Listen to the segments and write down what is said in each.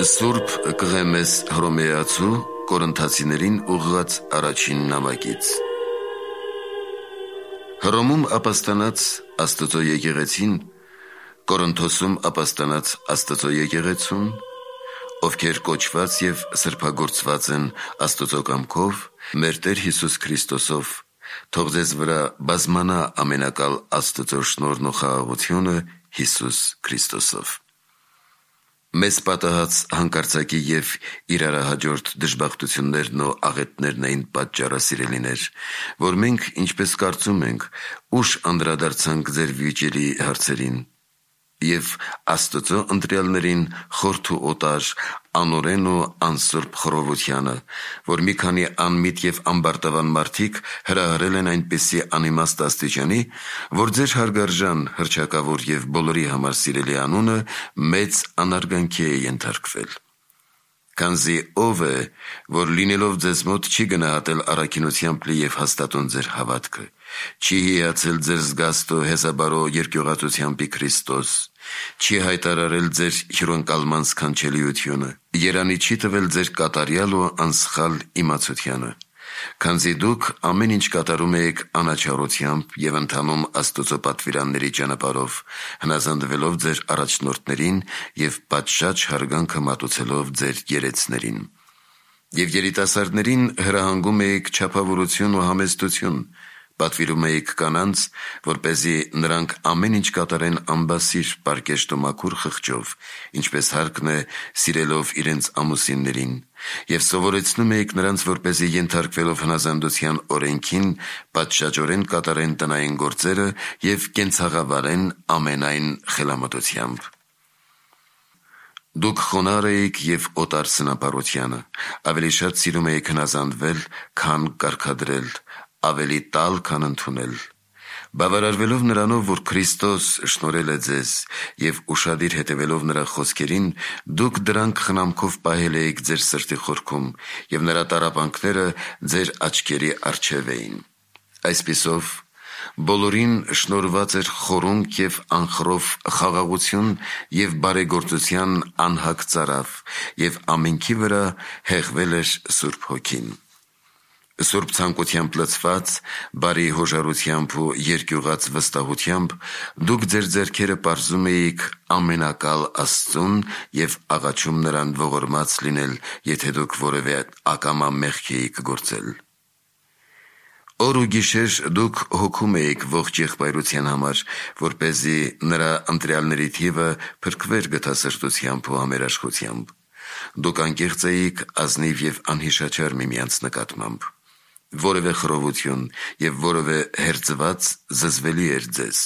Սուրբ Կղեմես Հռոմեացու Կորինթացիներին ուղղված առաջին նամակից։ Հռոմում ապաստանած Աստծո եկեղեցին, Կորինթոսում ապաստանած Աստծո եկեղեցուն, ովքեր կոչված եւ սրբագործված են Աստծո կամքով, մեր Տեր Հիսուս Քրիստոսով, թող ձեզ վրա բազմանա ամենակալ Աստծո շնորհն ու խաղաղությունը Հիսուս Քրիստոսով։ Մեզ պատահած հանկարծակի եւ իրարահաջորդ դժբախտություններն ու աղետներն էին պատճառը, սիրելիներ, որ մենք, ինչպես կարծում ենք, ուշ անդրադարձանք ձեր վիճելի հարցերին եւ Աստծո ընտրյալներին խորթ ու օտար, անօրեն ու անսուրբ խռովությանը, որ մի քանի անմիտ եւ ամբարտավան մարդիկ հրահրել են այնպիսի անիմաստ աստիճանի, որ ձեր հարգարժան, հռչակավոր եւ բոլորի համար սիրելի անունը մեծ անարգանքի է ենթարկվել։ Քանզի ով է, որ լինելով ձեզ մոտ չի գնահատել առաքինությամբ լի եւ հաստատուն ձեր հավատքը, չի հիացել ձեր զգաստո հեզաբարո երկյուղածությամբ Քրիստոս, չի հայտարարել ձեր հյուրընկալման սքանչելիությունը, երանի չի տվել ձեր կատարյալ ու անսխալ իմացությանը, քանզի դուք ամեն ինչ կատարում եք անաչառությամբ եւ ընթանում Աստծո պատվիրանների ճանապարհով, հնազանդվելով ձեր առաջնորդներին եւ պատշաճ հարգանքը մատուցելով ձեր երեցներին։ Եվ երիտասարդներին հրահանգում եք չափավորություն ու համեստություն, պատվիրում եք կանանց, որպեսզի նրանք ամեն ինչ կատարեն անբասիր, պարկեշտ ու մաքուր խղճով, ինչպես հարկն է սիրելով իրենց ամուսիններին, եւ սովորեցնում եք նրանց, որպեսզի ենթարկվելով հնազանդության օրենքին, պատշաճորեն կատարեն տնային գործերը եւ կենցաղավարեն ամենայն խելամտությամբ։ Դուք խոնարհ եք եւ օտար սնապարությանը, ավելի շատ սիրում եք հնազանդվել, քան կարգադրել, ավելի տալ, քան ընդունել։ Բավարարվելով նրանով, որ Քրիստոս շնորհել է ձեզ եւ ուշադիր հետևելով նրա խոսքերին, դուք դրանք խնամքով պահել եք ձեր սրտի խորքում եւ նրա տառապանքները ձեր աչքերի առջեւ էին։ Այսպիսով բոլորին շնորհված էր խորունկ եւ անխռով խաղաղություն եւ բարեգործության անհակ ծարավ եւ ամենքի վրա հեղվել էր Սուրբ Հոգին։ Սուրբ ցանկությամբ լցված, բարի հոժարությամբ ու երկյուղած վստահությամբ դուք ձեր ձեռքերը պարզում էիք ամենակալ Աստծուն եւ աղաչում նրան ողորմած լինել, եթե դուք որևէ ակամա մեղք էիք գործել։ Օր ու գիշեր դուք հոգում էիք ողջ եղբայրության համար, որպեսզի նրա ընտրյալների թիվը փրկվեր գթասրտությամբ ու համերաշխությամբ։ Դուք անկեղծ էիք, ազնիվ եւ անհիշաչար միմյանց նկատմամբ։ Որևէ խռովություն եւ որևէ հերձված զզվելի էր ձեզ։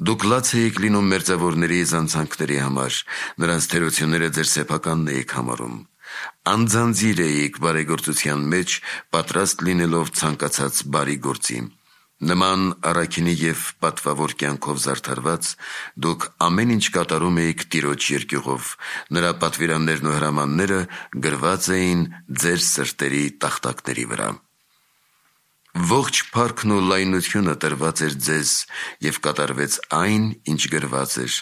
Դուք լաց էիք լինում մերձավորների զանցանքների համար, նրանց թերությունները ձեր սեփականն էիք համարում։ Անձանձիր էիք բարեգործության մեջ, պատրաստ լինելով ցանկացած բարի գործի։ Նման առաքինի եւ պատվավոր կյանքով զարդարված, դուք ամեն ինչ կատարում էիք Տիրոջ երկյուղով, նրա պատվիրաններն ու հրամանները գրված էին ձեր սրտերի տախտակների վրա։ Ողջ փառքն ու լայնությունը տրված էր ձեզ եւ կատարվեց այն, ինչ գրված էր.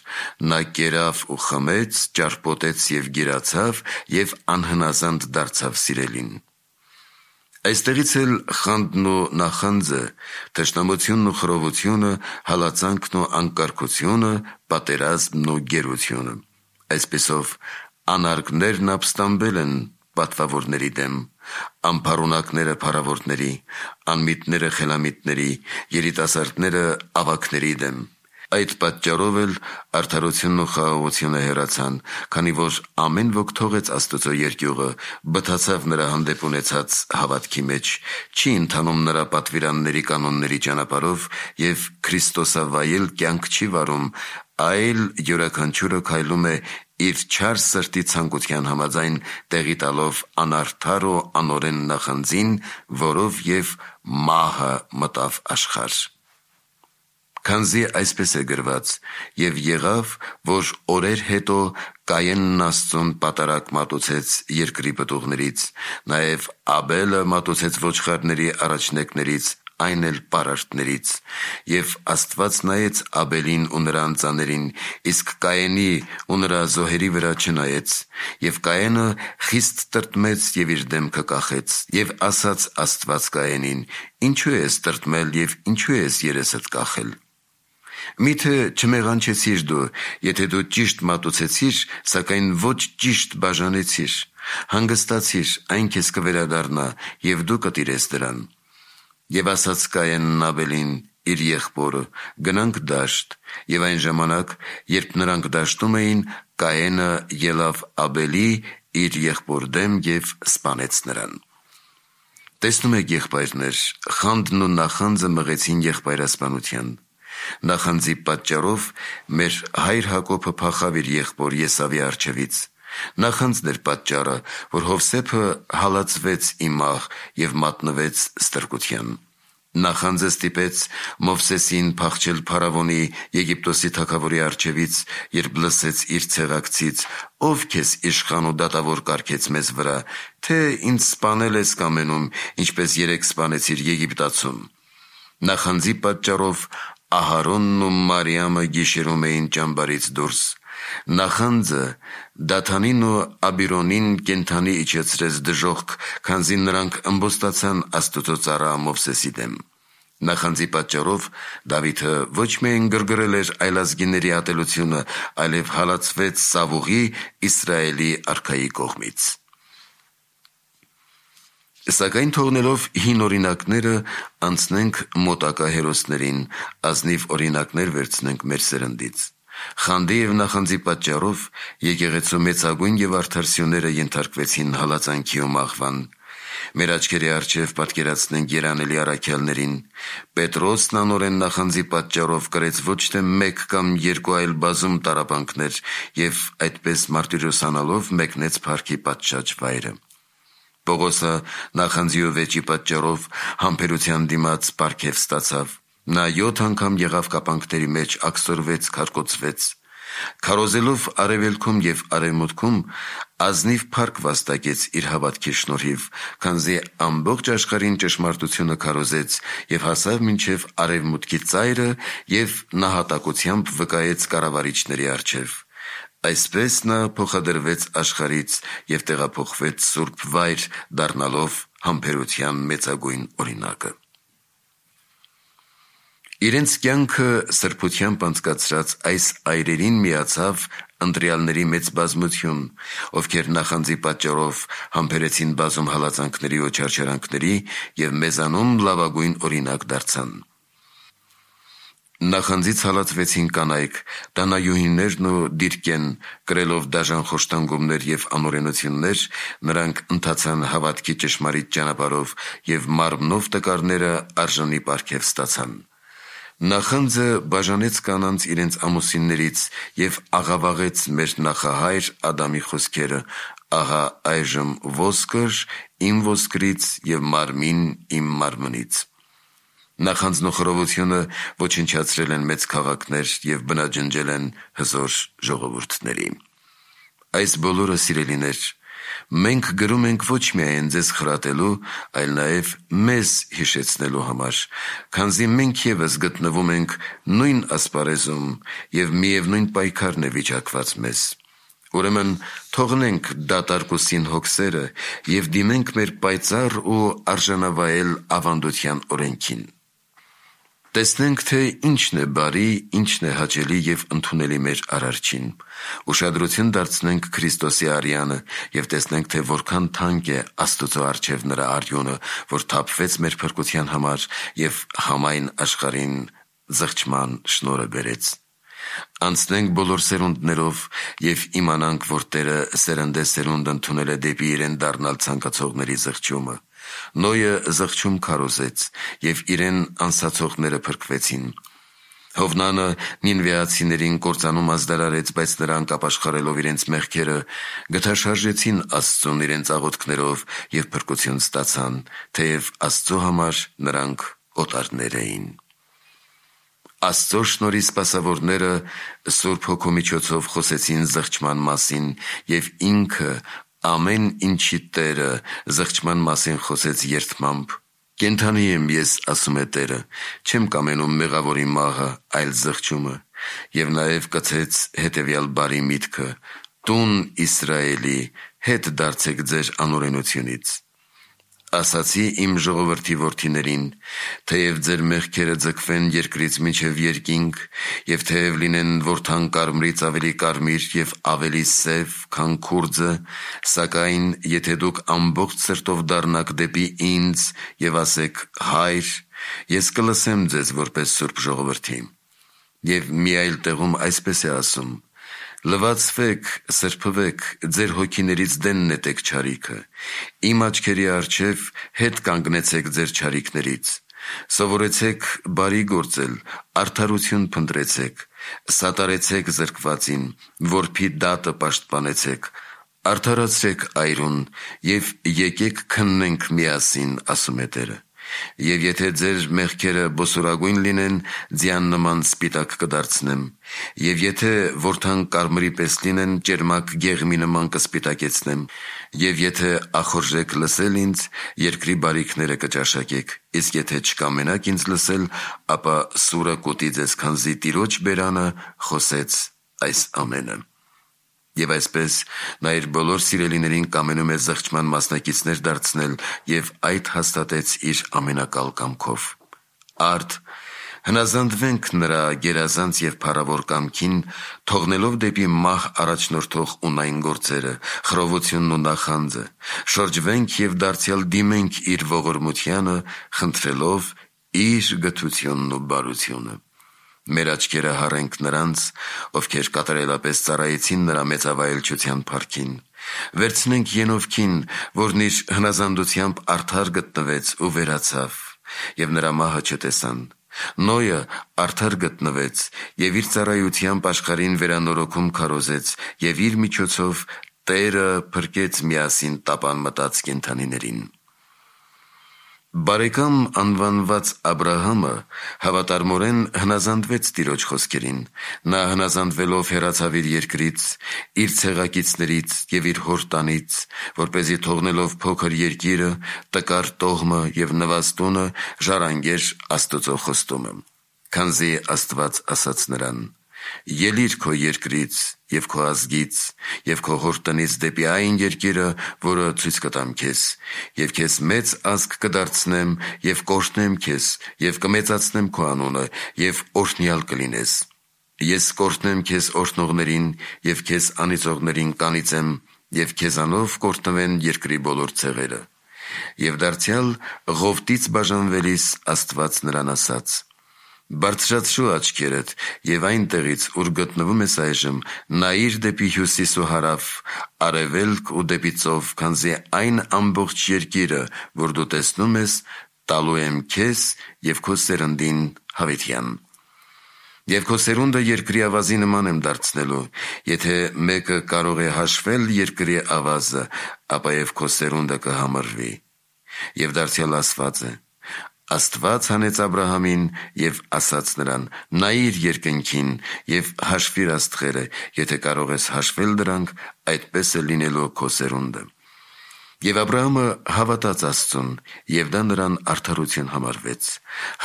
նա կերավ ու խմեց, ճարպոտեց եւ գիրացավ եւ անհնազանդ դարձավ սիրելին։ Այստեղից էլ խանդն ու նախանձը, թշնամությունն ու խռովությունը, հալածանքն ու անկարգությունը, պատերազմն ու գերությունը։ Այսպիսով անարգներն ապստամբել են պատվավորների դեմ, ամփառունակները փառավորների, անմիտները խելամիտների, երիտասարդները ավագների դեմ։ Այդ պատճառով էլ արդարությունն ու խաղաղությունը հեռացան, քանի որ ամեն ոք թողեց Աստծո երկյուղը, բթացավ նրա հանդեպ ունեցած հավատքի մեջ, չի ընթանում նրա պատվիրանների կանոնների ճանապարհով եւ Քրիստոսավայել կյանք չի վարում, այլ յուրաքանչյուրը քայլում է իր չար սրտի ցանկության համաձայն, տեղի տալով անարդար ու անօրեն նախանձին, որով եւ մահը մտավ աշխարհ։ Քանզի այսպես է գրված. «Եվ եղավ, որ օրեր հետո Կայենն Աստծուն պատարակ մատուցեց երկրի պտուղներից, նաև Աբելը մատուցեց ոչխարների առաջնեկներից այն էլ պարարտներից։ Եվ Աստված նայեց Աբելին ու նրա անձաներին, իսկ Կայենի ու նրա զոհերի վրա չնայեց։ Եվ Կայենը խիստ տրտմեց և իր դեմքը կախեց։ Եվ ասաց Աստված Կայենին. «Ինչու ես տրտմել և ինչու ես երեսդ կախել։ Միթե չմեղանչեցիր դու, եթե դու ճիշտ մատուցեցիր, սակայն ոչ ճիշտ բաժանեցիր։ Հանգստացիր, այն քեզ կվերադառնա, և դու կտիրես դրան»։ Եվ ասաց Կայենն Աբելին իր եղբորը. «Գնանք դաշտ»։ Եվ այն ժամանակ, երբ նրանք դաշտում էին, Կայենը ելավ Աբելի իր եղբոր դեմ և սպանեց նրան։ Տեսնում եք, եղբայրներ, խանդն ու նախանձը մղեցին եղբայրասպանության։ Նախանձի պատճառով մեր հայր Հակոբը փախավ իր եղբոր Եսավի առջևից։ Նախանձն էր պատճառը, որ Հովսեփը հալածվեց ի մահ և մատնվեց ստրկության։ Նախանձը ստիպեց Մովսեսին փախչել Փարավոնի, Եգիպտոսի թագավորի առջևից, երբ լսեց իր ցեղակցից. «Ով քեզ իշխան ու դատավոր կարգեց մեզ վրա, թե ինձ սպանել ես կամենում, ինչպես երեկ սպանեցիր Եգիպտացում»։ Նախանձի պատճառով Ահարոնն ու Մարիամը գիշերում էին ճամբարից դուրս։ Նախանձը Դաթանին ու Աբիրոնին կենդանի իջեցրեց դժոխք, քանզի նրանք ըմբոստացան Աստուծո ծառա Մովսեսի դեմ։ Նախանձի պատճառով Դավիթը ոչ միայն գրգռել էր այլազգիների ատելությունը, այլև հալածվեց Սավուղի, Իսրայելի արքայի կողմից։ Սակայն թողնելով հին օրինակները, անցնենք մոտակա հերոսներին, ազնիվ օրինակներ վերցնենք մեր սերնդից։ Խանդի և նախանձի պատճառով եկեղեցու մեծագույն և արդար սյուները ենթարկվեցին հալածանքի ու մահվան։ Մեր աչքերի առջև պատկերացնենք երանելի առաքյալներին։ Պետրոսն անօրեն նախանձի պատճառով կրեց ոչ թե մեկ կամ երկու, այլ բազում տառապանքներ և այդպես մարտիրոսանալով մեկնեց փառքի պատշաճ վայրը։ Պողոսը նախանձի ու վեճի պատճառով համբերության դիմաց պարգև ստացավ։ Նա 7 անգամ եղավ կապանքների մեջ, աքսորվեց, քարկոծվեց։ Քարոզելով արևելքում և արևմուտքում, ազնիվ փառք վաստակեց իր հավատքի շնորհիվ, քանզի ամբողջ աշխարհին ճշմարտությունը քարոզեց և հասավ մինչև արևմուտքի ծայրը և նահատակությամբ վկայեց կառավարիչների առջև։ Այսպես նա փոխադրվեց աշխարհից և տեղափոխվեց սուրբ վայր, դառնալով համբերության մեծագույն օրինակը։ Իրենց կյանքը սրբությամբ անցկացրած այս այրերին միացավ ընտրյալների մեծ բազմություն, ովքեր նախանձի պատճառով համբերեցին բազում հալածանքների ու չարչարանքների և մեզանում լավագույն օրինակ դարձան։ Նախանձից հալածվեցին կանայք, տանայուհիներն ու դիրկեն, կրելով դաժան խոշտանգումներ և անօրենություններ, նրանք ընթացան հավատքի ճշմարիտ ճանապարհով և մարմնով տկարները արժանի պարգև ստացան։ Նախանձը բաժանեց կանանց իրենց ամուսիններից և աղավաղեց մեր նախահայր Ադամի խոսքերը. «Ահա այժմ ոսկր իմ ոսկրից և մարմին իմ մարմնից»։ Նախանձն ու խռովությունը ոչնչացրել են մեծ քաղաքներ և բնաջնջել են հզոր ժողովուրդների։ Այս բոլորը, սիրելիներ, մենք գրում ենք ոչ միայն ձեզ խրատելու, այլ նաև մեզ հիշեցնելու համար, քանզի մենք ևս գտնվում ենք նույն ասպարեզում և միևնույն պայքարն է վիճակված մեզ։ Ուրեմն թողնենք դատարկ ու սին հոգսերը և դիմենք մեր պայծառ ու արժանավայել ավանդության օրենքին։ Տեսնենք, թե ինչն է բարի, ինչն է հաճելի և ընդունելի մեր Արարչին։ Ուշադրություն դարձնենք Քրիստոսի արյանը և տեսնենք, թե որքան թանկ է Աստուծո առջև նրա արյունը, որ թափվեց մեր փրկության համար և համայն աշխարհին զղջման շնորհը բերեց։ Անցնենք բոլոր սերունդներով և իմանանք, որ Տերը սերնդեսերունդ ընդունել է դեպի իրեն դառնալ ցանկացողների զղջումը։ Նոյը զղջում քարոզեց, և իրեն անսացողները փրկվեցին։ Հովնանը նինվեացիներին կործանում ազդարարեց, բայց նրանք ապաշխարելով իրենց մեղքերը, գթաշարժեցին Աստծուն իրենց աղոթքներով և փրկություն ստացան, թեև Աստծո համար նրանք օտարներ էին։ Աստծո շնորհի սպասավորները Սուրբ Հոգու միջոցով խոսեցին զղջման մասին, և ինքը ամեն ինչի Տերը զղջման մասին խոսեց երդմամբ, Կենդանի եմ ես, ասում է Տերը, չեմ կամենում մեղավորի մահը, այլ զղջումը, և նաև կցեց հետևյալ բարի միտքը. «Տուն Իսրայելի, հետ դարձեք ձեր անօրենությունից»։ Ասացի իմ ժողովրդի որդիներին, թեև ձեր մեղքերը ձգվեն երկրից մինչև երկինք, և թեև լինեն որթան կարմրից ավելի կարմիր և ավելի սև, քան քուրձը, սակայն եթե դուք ամբողջ սրտով դառնաք դեպի ինձ և ասեք. «Հայր», ես կլսեմ ձեզ որպես սուրբ ժողովրդի։ Եվ մի այլ տեղում այսպես է ասում. «Լվացվեք, սրբվեք, ձեր հոգիներից դեն նետեք չարիքը, իմ աչքերի առջև հետ կանգնեցեք ձեր չարիքներից, սովորեցեք բարի գործել, արդարություն փնտրեցեք, սատարեցեք զրկվածին, որբի դատը պաշտպանեցեք, արդարացրեք այրուն և եկեք քննենք միասին, ասում է Տերը։ Եվ եթե ձեր մեղքերը բոսորագույն լինեն, ձյան նման սպիտակ կդարձնեմ, և եթե որթան կարմրի պես լինեն, ճերմակ գեղմի նման կսպիտակեցնեմ, և եթե ախորժեք լսել ինձ, երկրի բարիքները կճաշակեք, իսկ եթե չկամենաք ինձ լսել, ապա սուրը կուտի ձեզ, քանզի Տիրոջ բերանը խոսեց այս ամենը»։ Եվ այսպես նա իր բոլոր սիրելիներին կամենում է զղջման մասնակիցներ դարձնել և այդ հաստատեց իր ամենակալ կամքով։ Արդ հնազանդվենք նրա գերազանց և փառավոր կամքին, թողնելով դեպի մահ առաջնորդող ունայն գործերը, խռովությունն ու նախանձը, շրջվենք և դարձյալ դիմենք իր ողորմությանը, խնդրելով իր գթությունն ու բարությունը։ Մեր աչքերը հառենք նրանց, ովքեր կատարելապես ծառայեցին նրա մեծավայելչության փառքին։ Վերցնենք Ենովքին, որն իր հնազանդությամբ արդար գտնվեց ու վերացավ, և նրա մահը չտեսան։ Նոյը արդար գտնվեց և իր ծառայությամբ աշխարհին վերանորոգում քարոզեց, և իր միջոցով Տերը փրկեց միասին տապան մտած կենդանիներին։ Բարեկամ անվանված Աբրահամը հավատարմորեն հնազանդվեց Տիրոջ խոսքերին։ Նա հնազանդվելով հեռացավ իր երկրից, իր ցեղակիցներից և իր հոր տանից, որպեսզի թողնելով փոքր երկիրը, տկար տոհմը և նվաստունը, ժառանգեր Աստծո խոստումը։ Քանզի Աստված ասաց նրան. «Ելիր քո երկրից և քո ազգից և քո հոր տնից դեպի այն երկիրը, որը ցույց կտամ քեզ, և քեզ մեծ ազգ կդարձնեմ և կօրհնեմ քեզ և կմեծացնեմ քո անունը և օրհնյալ կլինես։ Ես կօրհնեմ քեզ օրհնողներին և քեզ անիծողներին կանիծեմ, և քեզանով կօրհնվեն երկրի բոլոր ցեղերը»։ Եվ դարձյալ Ղովտից բաժանվելիս Աստված նրան ասաց. «Բարձրացրու աչքերդ և այնտեղից, ուր գտնվում ես այժմ, նայիր դեպի հյուսիս ու հարավ, արևելք ու դեպի ծով, քանզի այն ամբողջ երկիրը, որ դու տեսնում ես, տալու եմ քեզ և քո սերնդին հավիտյան։ Եվ քո սերունդը երկրի ավազի նման եմ դարձնելու. եթե մեկը կարող է հաշվել երկրի ավազը, ապա և քո սերունդը կհամարվի»։ Եվ դարձյալ ասված է. Աստված հանեց Աբրահամին և ասաց նրան. «Նայիր երկնքին և հաշվիր աստղերը, եթե կարող ես հաշվել դրանք, այդպես է լինելու քո սերունդը»։ Եվ Աբրահամը հավատաց Աստծուն, և դա նրան արդարություն համարվեց։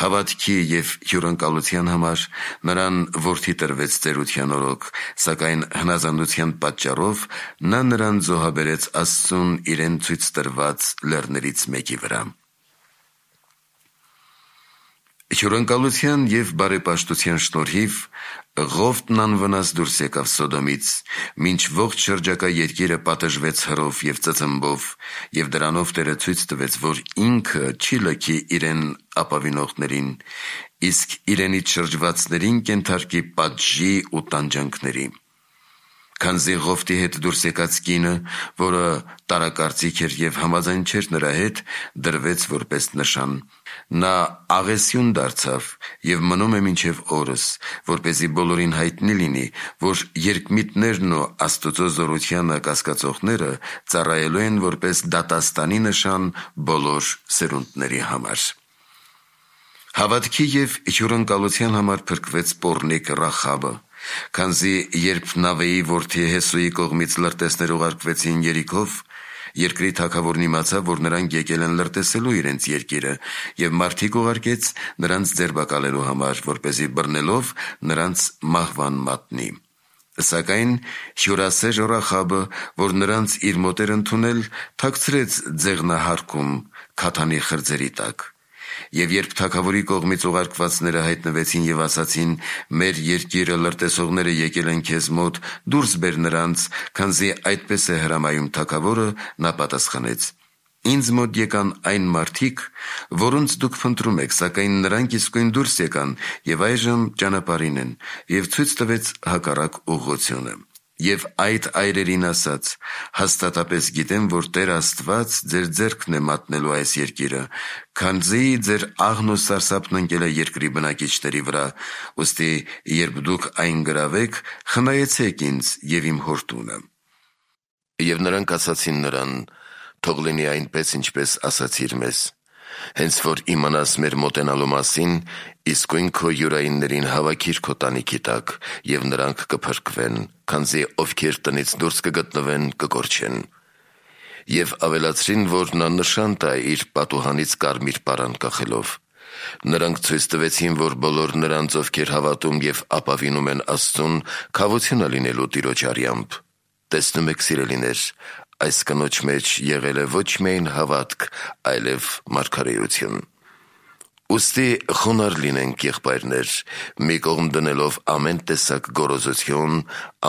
Հավատքի և հյուրընկալության համար նրան որդի տրվեց ծերության օրոք, սակայն հնազանդության պատճառով նա նրան զոհաբերեց Աստծուն իրեն ցույց տրված լեռներից մեկի վրա։ Հյուրընկալության և բարեպաշտության շնորհիվ Ղովտն անվնաս դուրս եկավ Սոդոմից, մինչ ողջ շրջակա երկիրը պատժվեց հրով և ծծմբով, և դրանով Տերը ցույց տվեց, որ ինքը չի լքի իրեն ապավինողներին, իսկ իրենից շրջվածներին կենթարկի պատժի ու տանջանքների։ Քանզի Ղովտի հետ դուրս եկած կինը, որը տարակարծիք էր և համաձայն չէր նրա հետ, դրվեց որպես նշան։ Նա աղեսյուն դարձավ և մնում է մինչև օրս, որպեսզի բոլորին հայտնի լինի, որ երկմիտներն ու Աստծո զորությանը կասկածողները ծառայելու են որպես դատաստանի նշան բոլոր սերունդների համար։ Հավատքի և հյուրընկալության համար փրկվեց պոռնիկ Ռախաբը, քանզի երբ Նավեի որդի Հեսուի կողմից լրտեսներ ուղարկվեցին Երիքով, Երկրի թագավորն իմացավ, որ նրանք եկել են լրտեսելու իրենց երկիրը, և մարդիկ ուղարկեց նրանց ձերբակալելու համար, որպեսզի բռնելով նրանց մահվան մատնի։ Սակայն հյուրասեր Ռախաբը, որ նրանց իր մոտ էր ընդունել, թաքցրեց ձեղնահարկում քաթանի խրձերի տակ։ Եվ երբ թագավորի կողմից ուղարկվածները հայտնվեցին և ասացին. «Մեր երկիրը լրտեսողները եկել են քեզ մոտ, դուրս բեր նրանց, քանզի այդպես է հրամայում թագավորը», նա պատասխանեց. «Ինձ մոտ եկան այն մարդիկ, որոնց դուք փնտրում եք, սակայն նրանք իսկույն դուրս եկան և այժմ ճանապարհին են», և ցույց տվեց հակառակ ուղղությունը։ Եվ այդ այրերին ասաց. «Հաստատապես գիտեմ, որ Տեր Աստված ձեր ձեռքն է մատնելու այս երկիրը, քանզի ձեր աղն ու սարսափն ընկել է երկրի բնակիչների վրա, ուստի երբ դուք այն գրավեք, խնայեցեք ինձ և իմ հոր տունը»։ Եվ նրանք ասացին նրան. «Թող լինի այնպես, ինչպես ասացիր մեզ։ Հենց որ իմանաս մեր մոտենալու մասին, իսկույն քո յուրայիններին հավաքիր քո տանիքի տակ, և նրանք կփրկվեն, քանզի ովքեր տնից դուրս կգտնվեն, կկորչեն»։ Եվ ավելացրին, որ նա նշան տա իր պատուհանից կարմիր պարան կախելով։ Նրանք ցույց տվեցին, որ բոլոր նրանց, ովքեր հավատում և ապավինում են Աստծուն, քավություն է լինելու Տիրոջ արյամբ։ Տեսնում եք, սիրելիներ, այս կնոջ մեջ եղել է ոչ միայն հավատք, այլև մարգարեություն։ Ուստի խոնարհ լինենք, եղբայրներ, մի կողմ դնելով ամեն տեսակ գոռոզություն,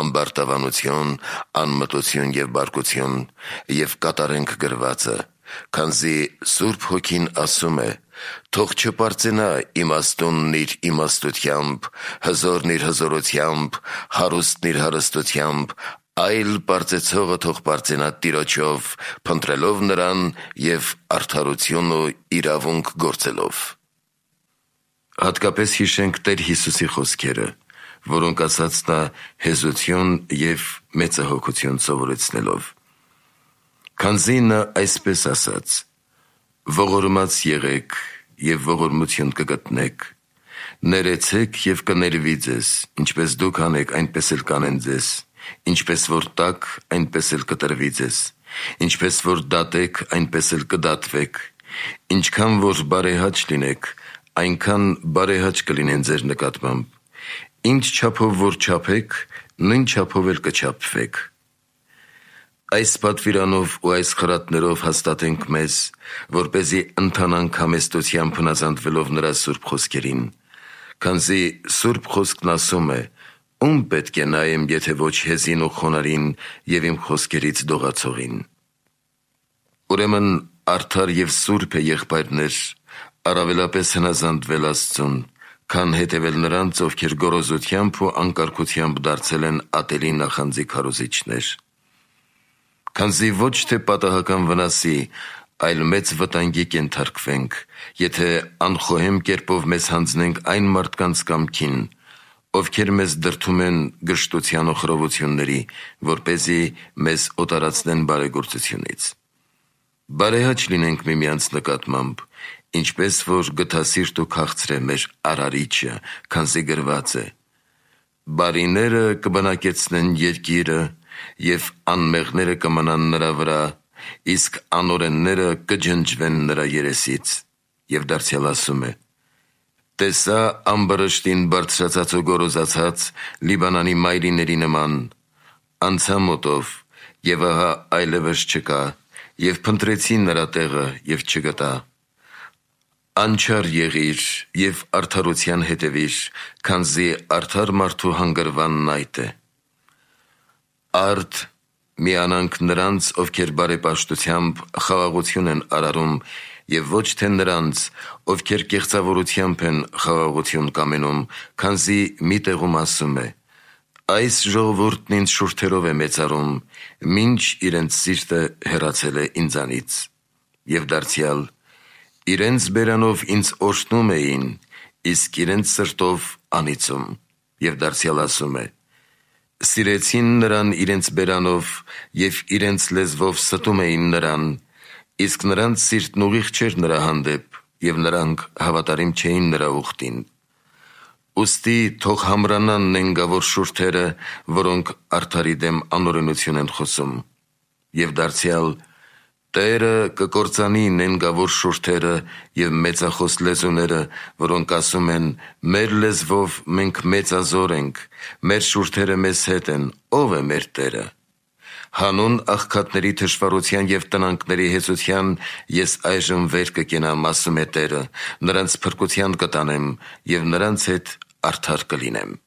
ամբարտավանություն, անմտություն և բարկություն, և կատարենք գրվածը, քանզի Սուրբ Հոգին ասում է. «Թող չպարծենա իմաստունն իր իմաստությամբ, հզորն իր հզորությամբ, հարուստն իր հարստությամբ, այլ պարծեցողը թող պարծենա Տիրոջով, փնտրելով նրան և արդարություն ու իրավունք գործելով»։ Հատկապես հիշենք Տեր Հիսուսի խոսքերը, որոնք ասաց նա հեզություն և մեծահոգություն սովորեցնելով։ Քանզի նա այսպես ասաց. «Ողորմած եղեք և ողորմություն կգտնեք, ներեցեք և կներվի ձեզ, ինչպես դուք անեք, այնպես էլ կանեն ձեզ, ինչպես որ տաք, այնպես էլ կտրվի ձեզ, ինչպես որ դատեք, այնպես էլ կդատվեք, ինչքան որ բարեհաճ լինեք, այնքան բարեհաճ կլինեն ձեր նկատմամբ, ինչ չափով որ չափեք, նույն չափով էլ կչափվեք»։ Այս պատվիրանով ու այս խրատներով հաստատենք մեզ, որպեսզի ընթանանք համեստությամբ հնազանդվելով նրա սուրբ խոսքերին, քանզի Սուրբ Խոսքն ասում է. «Ում պետք է նայեմ, եթե ոչ հեզին ու խոնարհին և իմ խոսքերից դողացողին»։ Ուրեմն արդար և սուրբ է, եղբայրներ, առավելապես հնազանդվել Աստծուն, քան հետևել նրանց, ովքեր գոռոզությամբ ու անկարգությամբ դարձել են ատելի նախանձի քարոզիչներ։ Քանզի ոչ թե պատահական վնասի, այլ մեծ վտանգի կենթարկվենք, եթե անխոհեմ կերպով մեզ հանձնենք այն մարդկանց կամքին, ովքեր մեզ դրդում են գժտության ու խռովությունների, որպեսզի մեզ օտարացնեն բարեգործությունից։ Բարեհաճ լինենք միմյանց նկատմամբ, ինչպես որ գթասիրտ ու քաղցր է մեր Արարիչը, քանզի գրված է. «Բարիները կբնակեցնեն երկիրը, և անմեղները կմնան նրա վրա, իսկ անօրենները կջնջվեն նրա երեսից»։ Եվ դարձյալ ասում է. «Տեսա ամբրշտին բարձրացած ու գոռոզացած Լիբանանի մայրիների նման, անցա մոտով, և ահա այլևս չկա, և փնտրեցի նրա տեղը և չգտա։ Անչափ եղիր և արդարության հետևիր, քանզի արդար մարդու հանգրվանն այդ է։ Արդ միանանք նրանց, ովքեր բարեպաշտությամբ խաղաղություն են արարում, և ոչ թե նրանց, ովքեր կեղծավորությամբ են խաղաղություն կամենում, քանզի մի տեղում ասում է. «Այս ժողովուրդն ինձ շուրթերով է մեծարում, մինչ իրենց սիրտը հեռացել է ինձանից»։ Եվ դարձյալ. «Իրենց բերանով ինձ օրհնում էին, իսկ իրենց սրտով անիծում»։ Եվ դարձյալ ասում է. «Սիրեցին նրան իրենց բերանով և իրենց լեզվով ստում էին նրան, իսկ նրանց սիրտն ուղիղ չէր նրա հանդեպ, և նրանք հավատարիմ չէին նրա ուխտին։ Ուստի թող համրանան նենգավոր շուրթերը, որոնք արդարի դեմ անօրենություն են խոսում»։ Եվ դարձյալ. Տերը կկործանի նենգավոր շուրթերը և մեծախոս լեզուները, որոնք ասում են. մեր լեզվով մենք մեծազոր ենք, մեր շուրթերը մեզ հետ են, ո՞վ է մեր Տերը։ Հանուն աղքատների թշվառության և տնանքների հեծության ես այժմ վեր կկենամ, ասում է Տերը, նրանց փրկության կտանեմ և նրանց հետ արդար կլինեմ։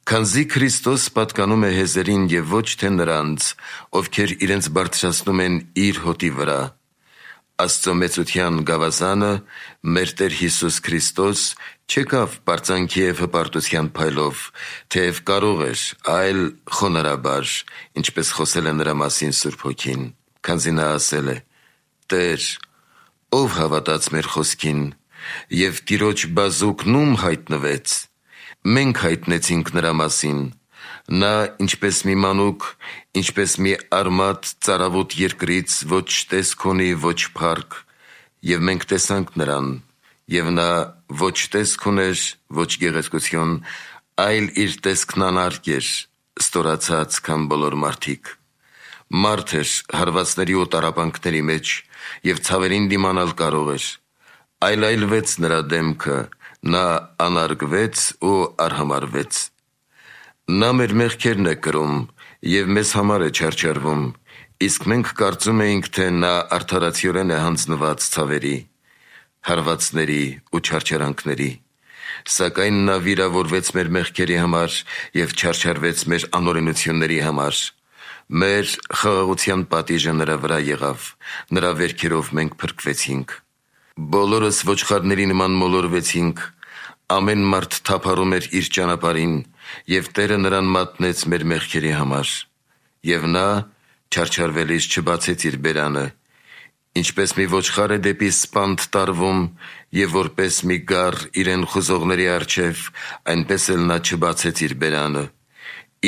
Քանզի Քրիստոս պատկանում է հեզերին և ոչ թե նրանց, ովքեր իրենց բարձրացնում են իր հոտի վրա, Աստծո մեծության գավազանը, մեր Տեր Հիսուս Քրիստոս, չեկավ պարծանքի և հպարտության փայլով, թեև կարող էր, այլ խոնարհաբար, ինչպես խոսել է նրա մասին Սուրբ Հոգին, քանզի նա ասել է. «Տեր, ով հավատաց մեր խոսքին, և Տիրոջ բազուկն ում հայտնվեց։ Մենք հայտնեցինք նրա մասին, նա ինչպես մի մանուկ, ինչպես մի արմատ ծարավոտ երկրից, ոչ տեսք ունի, ոչ փառք, և մենք տեսանք նրան, և նա ոչ տեսք ուներ, ոչ գեղեցկություն, այլ իր տեսքն անարգ էր, ստորացած, քան բոլոր մարդիկ։ Մարդ էր հարվածների ու տառապանքների մեջ, և ցավերին դիմանալ կարող էր, այլայլվեց նրա դեմքը, նա անարգվեց ու արհամարհվեց։ Նա մեր մեղքերն է կրում և մեզ համար է չարչարվում, իսկ մենք կարծում էինք, թե նա արդարացիորեն է հանձնված ցավերի, հարվածների ու չարչարանքների, սակայն նա վիրավորվեց մեր մեղքերի համար և չարչարվեց մեր անօրենությունների համար։ Մեր խաղաղության պատիժը նրա վրա եղավ, նրա վերքերով մենք փրկվեցինք։ Բոլորս ոչխարների նման մոլորվեցինք, ամեն մարդ թափառում էր իր ճանապարհին, և Տերը նրան մատնեց մեր մեղքերի համար։ Եվ նա, չարչարվելիս, չբացեց իր բերանը, ինչպես մի ոչխար է դեպի սպանդ տարվում, և որպես մի գառ իրեն խուզողների առջև, այնպես էլ նա չբացեց իր բերանը,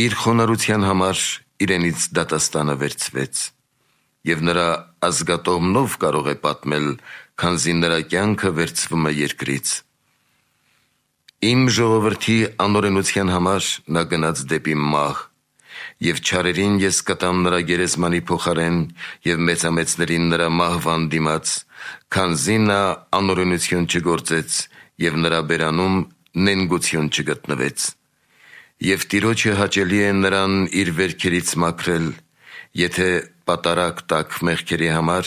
իր խոնարհության համար իրենից դատաստանը վերցվեց։ Եվ նրա ազգատոհմնով կարող է պատմել, քանզի նրա կյանքը վերցվում է երկրից։ Իմ ժողովրդի անօրենության համար նա գնաց դեպի մահ, և չարերին ես կտամ նրա գերեզմանի փոխարեն և մեծամեծներին նրա մահվան դիմաց, քանզի նա անօրենություն չգործեց և նրա բերանում նենգություն չգտնվեց։ Եվ Տիրոջը հաճելի է նրան իր վերքերից մաքրել, եթե պատարագ տաք մեղքերի համար,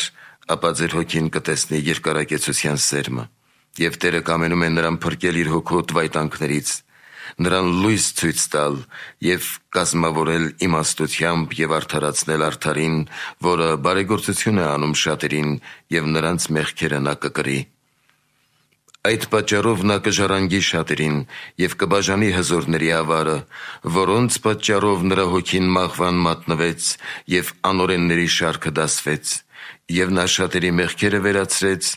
ապա ձեր հոգին կտեսնի երկարակեցության սերմը, և Տերը կամենում է նրան փրկել իր հոգու տվայտանքներից, նրան լույս ցույց տալ և կազմավորել իմաստությամբ և արդարացնել արդարին, որը բարեգործություն է անում շատերին, և նրանց մեղքերը նա կկրի։ Այդ պատճառով նա կժառանգի շատերին և կբաժանի հզորների ավարը, որոնց պատճառով նրա հոգին մահվան մատնվեց և անօրենների շարքը դասվեց, և նա շատերի մեղքերը վերացրեց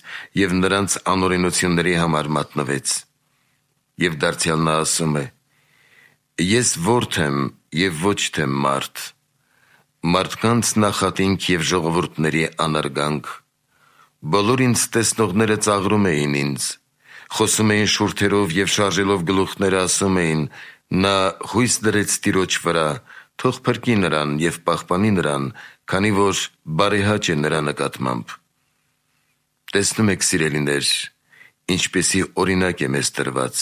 և նրանց անօրենությունների համար մատնվեց։ Եվ դարձյալ նա ասում է. «Ես որդի եմ և ոչ թե մարդ, մարդկանց նախատինք և ժողովուրդների անարգանք։ Բոլոր ինձ տեսնողները ծաղրում էին ինձ, խոսում էին շուրթերով և շարժելով գլուխները ասում էին. նա հույս դրեց Տիրոջ վրա, թող փրկի նրան և պահպանի նրան, քանի որ բարեհաճ է նրա նկատմամբ»։ Տեսնում եք, սիրելիներ, ինչպիսի օրինակ է մեզ տրված,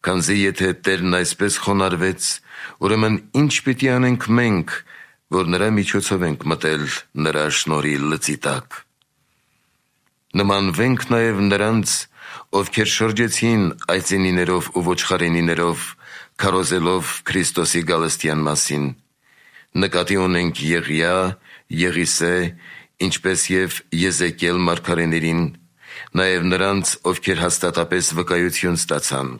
քանզի եթե Տերն այսպես խոնարհվեց, ուրեմն ի՞նչ պիտի անենք մենք, որ նրա միջոցով ենք մտել նրա շնորհի լծի տակ։ Նմանվենք նաև նրանց, ովքեր շրջեցին այծենիներով ու ոչխարենիներով, քարոզելով Քրիստոսի գալստյան մասին։ Նկատի ունենք Եղիա, Եղիսե, ինչպես և Եզեկիել մարգարեներին, նաև նրանց, ովքեր հաստատապես վկայություն ստացան։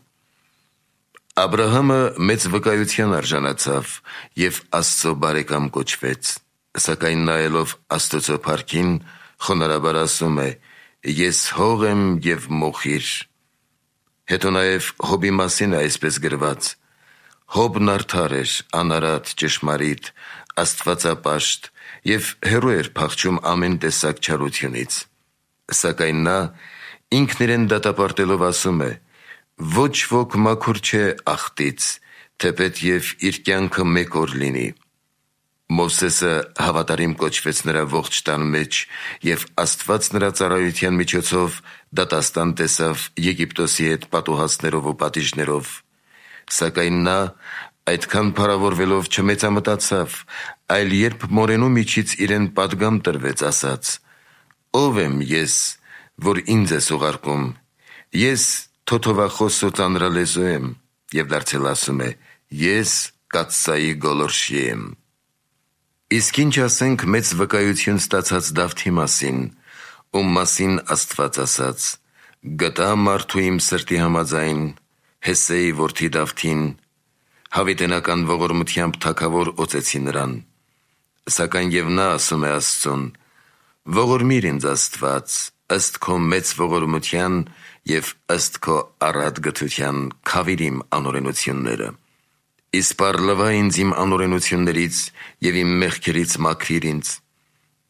Աբրահամը մեծ վկայության արժանացավ և Աստծո բարեկամ կոչվեց, սակայն նայելով Աստծո փառքին, խոնարհաբար ասում է. «Ես հող եմ և մոխիր»։ Հետո նաև Հոբի մասին է այսպես գրված. «Հոբն արդար էր, անարատ, ճշմարիտ, աստվածապաշտ և հեռու էր փախչում ամեն տեսակ չարությունից։ Սակայն նա ինքն իրեն դատապարտելով ասում է. ոչ ոք մաքուր չէ ախտից, թեպետ և իր կյանքը մեկ օր լինի։ Մովսեսը հավատարիմ կոչվեց նրա ողջ տան մեջ, և Աստված նրա ծառայության միջոցով դատաստան տեսավ Եգիպտոսի հետ պատուհասներով ու պատիժներով։ Սակայն նա այդքան փառավորվելով չմեծամտացավ, այլ երբ մորենու միջից իրեն պատգամ տրվեց, ասաց. «Ո՞վ եմ ես, որ ինձ ես ուղարկում. ես թոթովախոս ու ծանրալեզու եմ», և դարձել ասում է. «Ես կաթսայի գոլորշի եմ»։ Իսկ ինչ ասենք մեծ վկայություն ստացած Դավթի մասին, ում մասին Աստված ասաց. «Գտա մարդու իմ սրտի համաձայն, Հեսեի որդի Դավթին, հավիտենական ողորմությամբ թագավոր օծեցի նրան»։ Սակայն և նա ասում է Աստծուն. «Ողորմիր ինձ Աստված, ըստ քո մեծ ողորմության և ըստ քո առատ գթության քավիր իմ անօրենությունները։ Իսպառ լվա ինձ իմ անօրենություններից և իմ մեղքերից մաքրիր ինձ։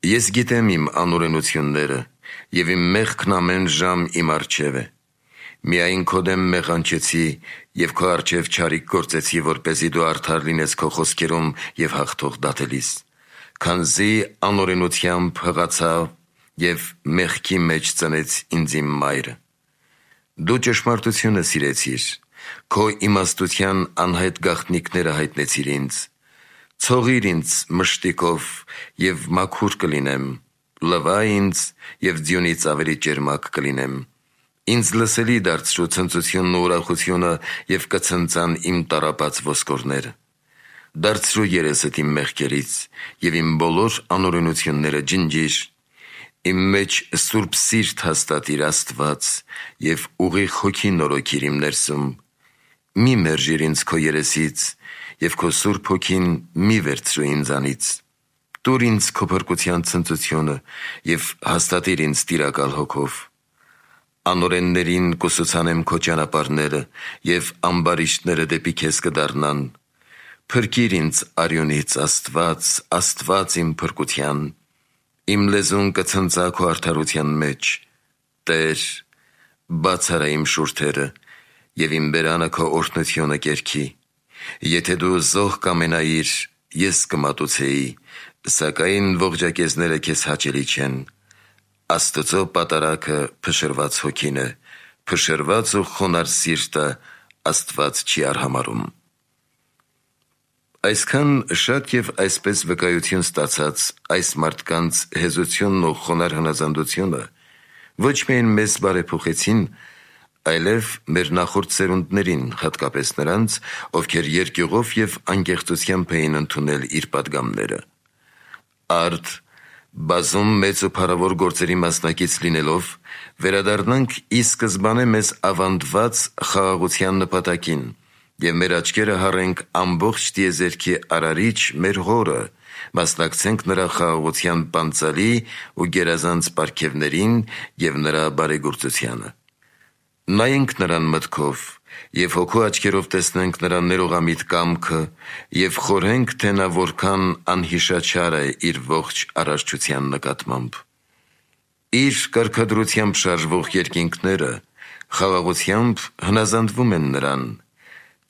Ես գիտեմ իմ անօրենությունները, և իմ մեղքն ամեն ժամ իմ առջև է։ Միայն քո դեմ մեղանչեցի և քո առջև չարիք գործեցի, որպեսզի դու արդար լինես քո խոսքերում և հաղթող դատելիս, քանզի անօրենությամբ հղացա և մեղքի մեջ ծնեց ինձ իմ մայրը։ Դու ճշմարտությունը սիրեցիր, քո իմաստության անհայտ գաղտնիքները հայտնեցիր ինձ։ Ցողիր ինձ մշտիկով, և մաքուր կլինեմ, լվա ինձ, և ձյունից ավելի ճերմակ կլինեմ։ Ինձ լսելի դարձրու ցնծությունն ու ուրախությունը, և կցնծան իմ տառապած ոսկորները։ Դարձրու երեսդ իմ մեղքերից, և իմ բոլոր անօրենությունները ջնջիր։ Իմ մեջ սուրբ սիրտ հաստատիր, Աստված, և ուղիղ հոգի նորոգիր իմ ներսում։ Մի մերժիր ինձ քո երեսից, և քո Սուրբ Հոգին մի վերցրու ինձանից։ Տուր ինձ քո փրկության ցնծությունը և հաստատիր ինձ տիրակալ հոգով։ Անօրեններին կուսուցանեմ քո ճանապարհները, և ամբարիշտները դեպի քեզ կդառնան։ Փրկիր ինձ արյունից, Աստված, Աստված իմ փրկության։ Իմ լեզուն կցնծա քո արդարության մեջ։ Տեր, բաց արա իմ շուրթերը, և իմ բերանը քո օրհնությունը կերքի։ Եթե դու զոհ կամենայիր, ես կմատուցեի, սակայն ողջակեզները քեզ հաճելի չեն։ Աստծո պատարագը փշրված հոգին է, փշրված ու խոնարհ սիրտը Աստված չի արհամարհում։ Այսքան շատ և այսպես վկայություն ստացած այս մարդկանց հեզությունն ու խոնարհ հնազանդությունը ոչ միայն մեզ բարեփոխեցին, այլև մեր նախորդ սերունդներին, հատկապես նրանց, ովքեր երկյուղով և անկեղծությամբ էին ընդունել իր պատգամները։ Արդ, բազում մեծ ու փառավոր գործերի մասնակից լինելով, վերադառնանք ի սկզբանե մեզ ավանդված խաղաղության նպատակին և մեր աչքերը հառենք ամբողջ տիեզերքի Արարիչ մեր Հորը, մասնակցենք նրա խաղաղության պանծալի ու գերազանց պարգևներին և նրա բարեգործությանը։ Նայենք նրան մտքով և հոգու աչքերով տեսնենք նրա ներողամիտ կամքը և խորհենք, թե նա որքան անհիշաչար է իր ողջ արարչության նկատմամբ։ Իր կարգադրությամբ շարժվող երկինքները խաղաղությամբ հնազանդվում են նրան։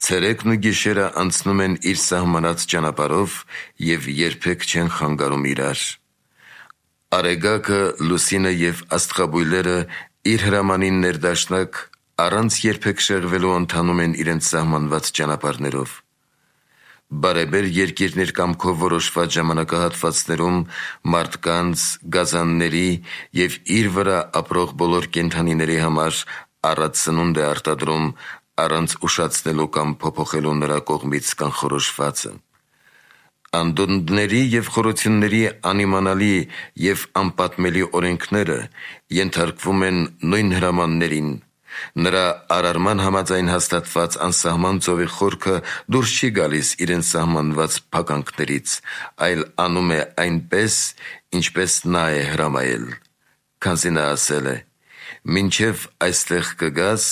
Ցերեկն ու գիշերը անցնում են իր սահմանած ճանապարհով և երբեք չեն խանգարում իրար։ Արեգակը, լուսինը և աստղաբույլերը իր հրամանին ներդաշնակ առանց երբեք շեղվելու ընթանում են իրենց սահմանված ճանապարհներով։ Բարեբեր երկիրներ կամքով որոշված ժամանակահատվածներում մարդկանց, գազանների և իր վրա ապրող բոլոր կենդանիների համար առատ սնունդ է արտադրում առանց ուշացնելու կամ փոփոխելու նրա կողմից կանխորոշվածը։ Անդունդների և խորությունների անիմանալի և անպատմելի օրենքները ենթարկվում են նույն հրամաններին։ Նրա արարման համաձայն հաստատված անսահման ծովի խորքը դուրս չի գալիս իրեն սահմանված փականքներից, այլ անում է այնպես, ինչպես նա է հրամայել, քանզի նա ասել է. «Մինչև այստեղ կգաս,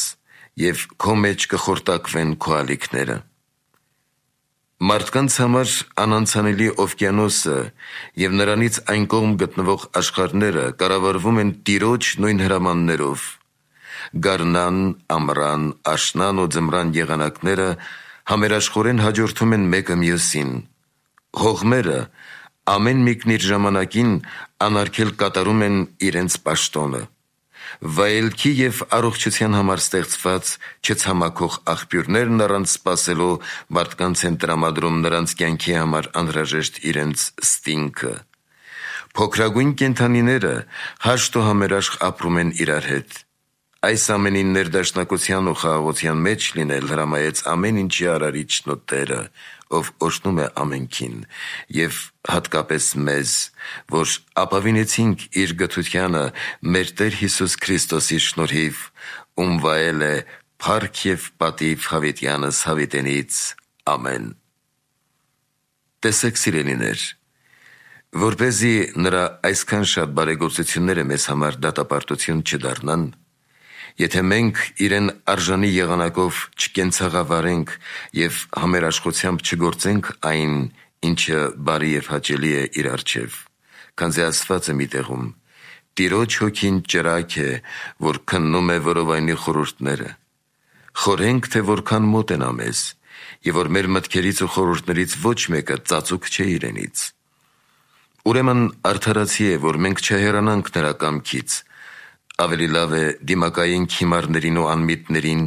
և քո մեջ կխորտակվեն քո ալիքները»։ Մարդկանց համար անանցանելի օվկիանոսը և նրանից այն կողմ գտնվող աշխարհները կառավարվում են Տիրոջ նույն հրամաններով։ Գարնան, ամռան, աշնան ու ձմռան եղանակները համերաշխորեն հաջորդում են մեկը մյուսին։ Հողմերը ամեն մեկն իր ժամանակին անարգել կատարում են իրենց պաշտոնը։ Վայելքի և առողջության համար ստեղծված չցամաքող աղբյուրներն առանց սպասելու մարդկանց են տրամադրում նրանց կյանքի համար անհրաժեշտ իրենց ստինգը։ Փոքրագույն կենդանիները հաշտ ու համերաշխ ապրում են իրար հետ։ Այս ամենին ներդաշնակության ու խաղաղության մեջ լինել հրամայեց ամեն ինչի արարիչն ու Տերը, ով օրհնում է ամենքին, և հատկապես մեզ, որ ապավինեցինք իր գթությանը մեր Տեր Հիսուս Քրիստոսի շնորհիվ, ում վայել է փառք և պատիվ հավիտյանս հավիտենից։ Ամեն։ Տեսեք, սիրելիներ, որպեսզի նրա այսքան շատ բարեգործությունները մեզ համար դատապարտություն չդառնան, եթե մենք իրեն արժանի եղանակով չկենցաղավարենք և համերաշխությամբ չգործենք այն, ինչը բարի և հաճելի է իր առջև, քանզի ասված է մի տեղում. «Տիրոջ հոգին ճրագ է, որ քննում է որովայնի խորհուրդները»։ Խորհենք, թե որքան մոտ են մեզ, և որ մեր մտքերից ու խորհուրդներից ոչ մեկը ծածուկ չէ իրենից։ Ուրեմն արդարացի է, որ մենք չհեռանանք նրա կամքից։ Ավելի լավ է դիմակայենք հիմարներին ու անմիտներին,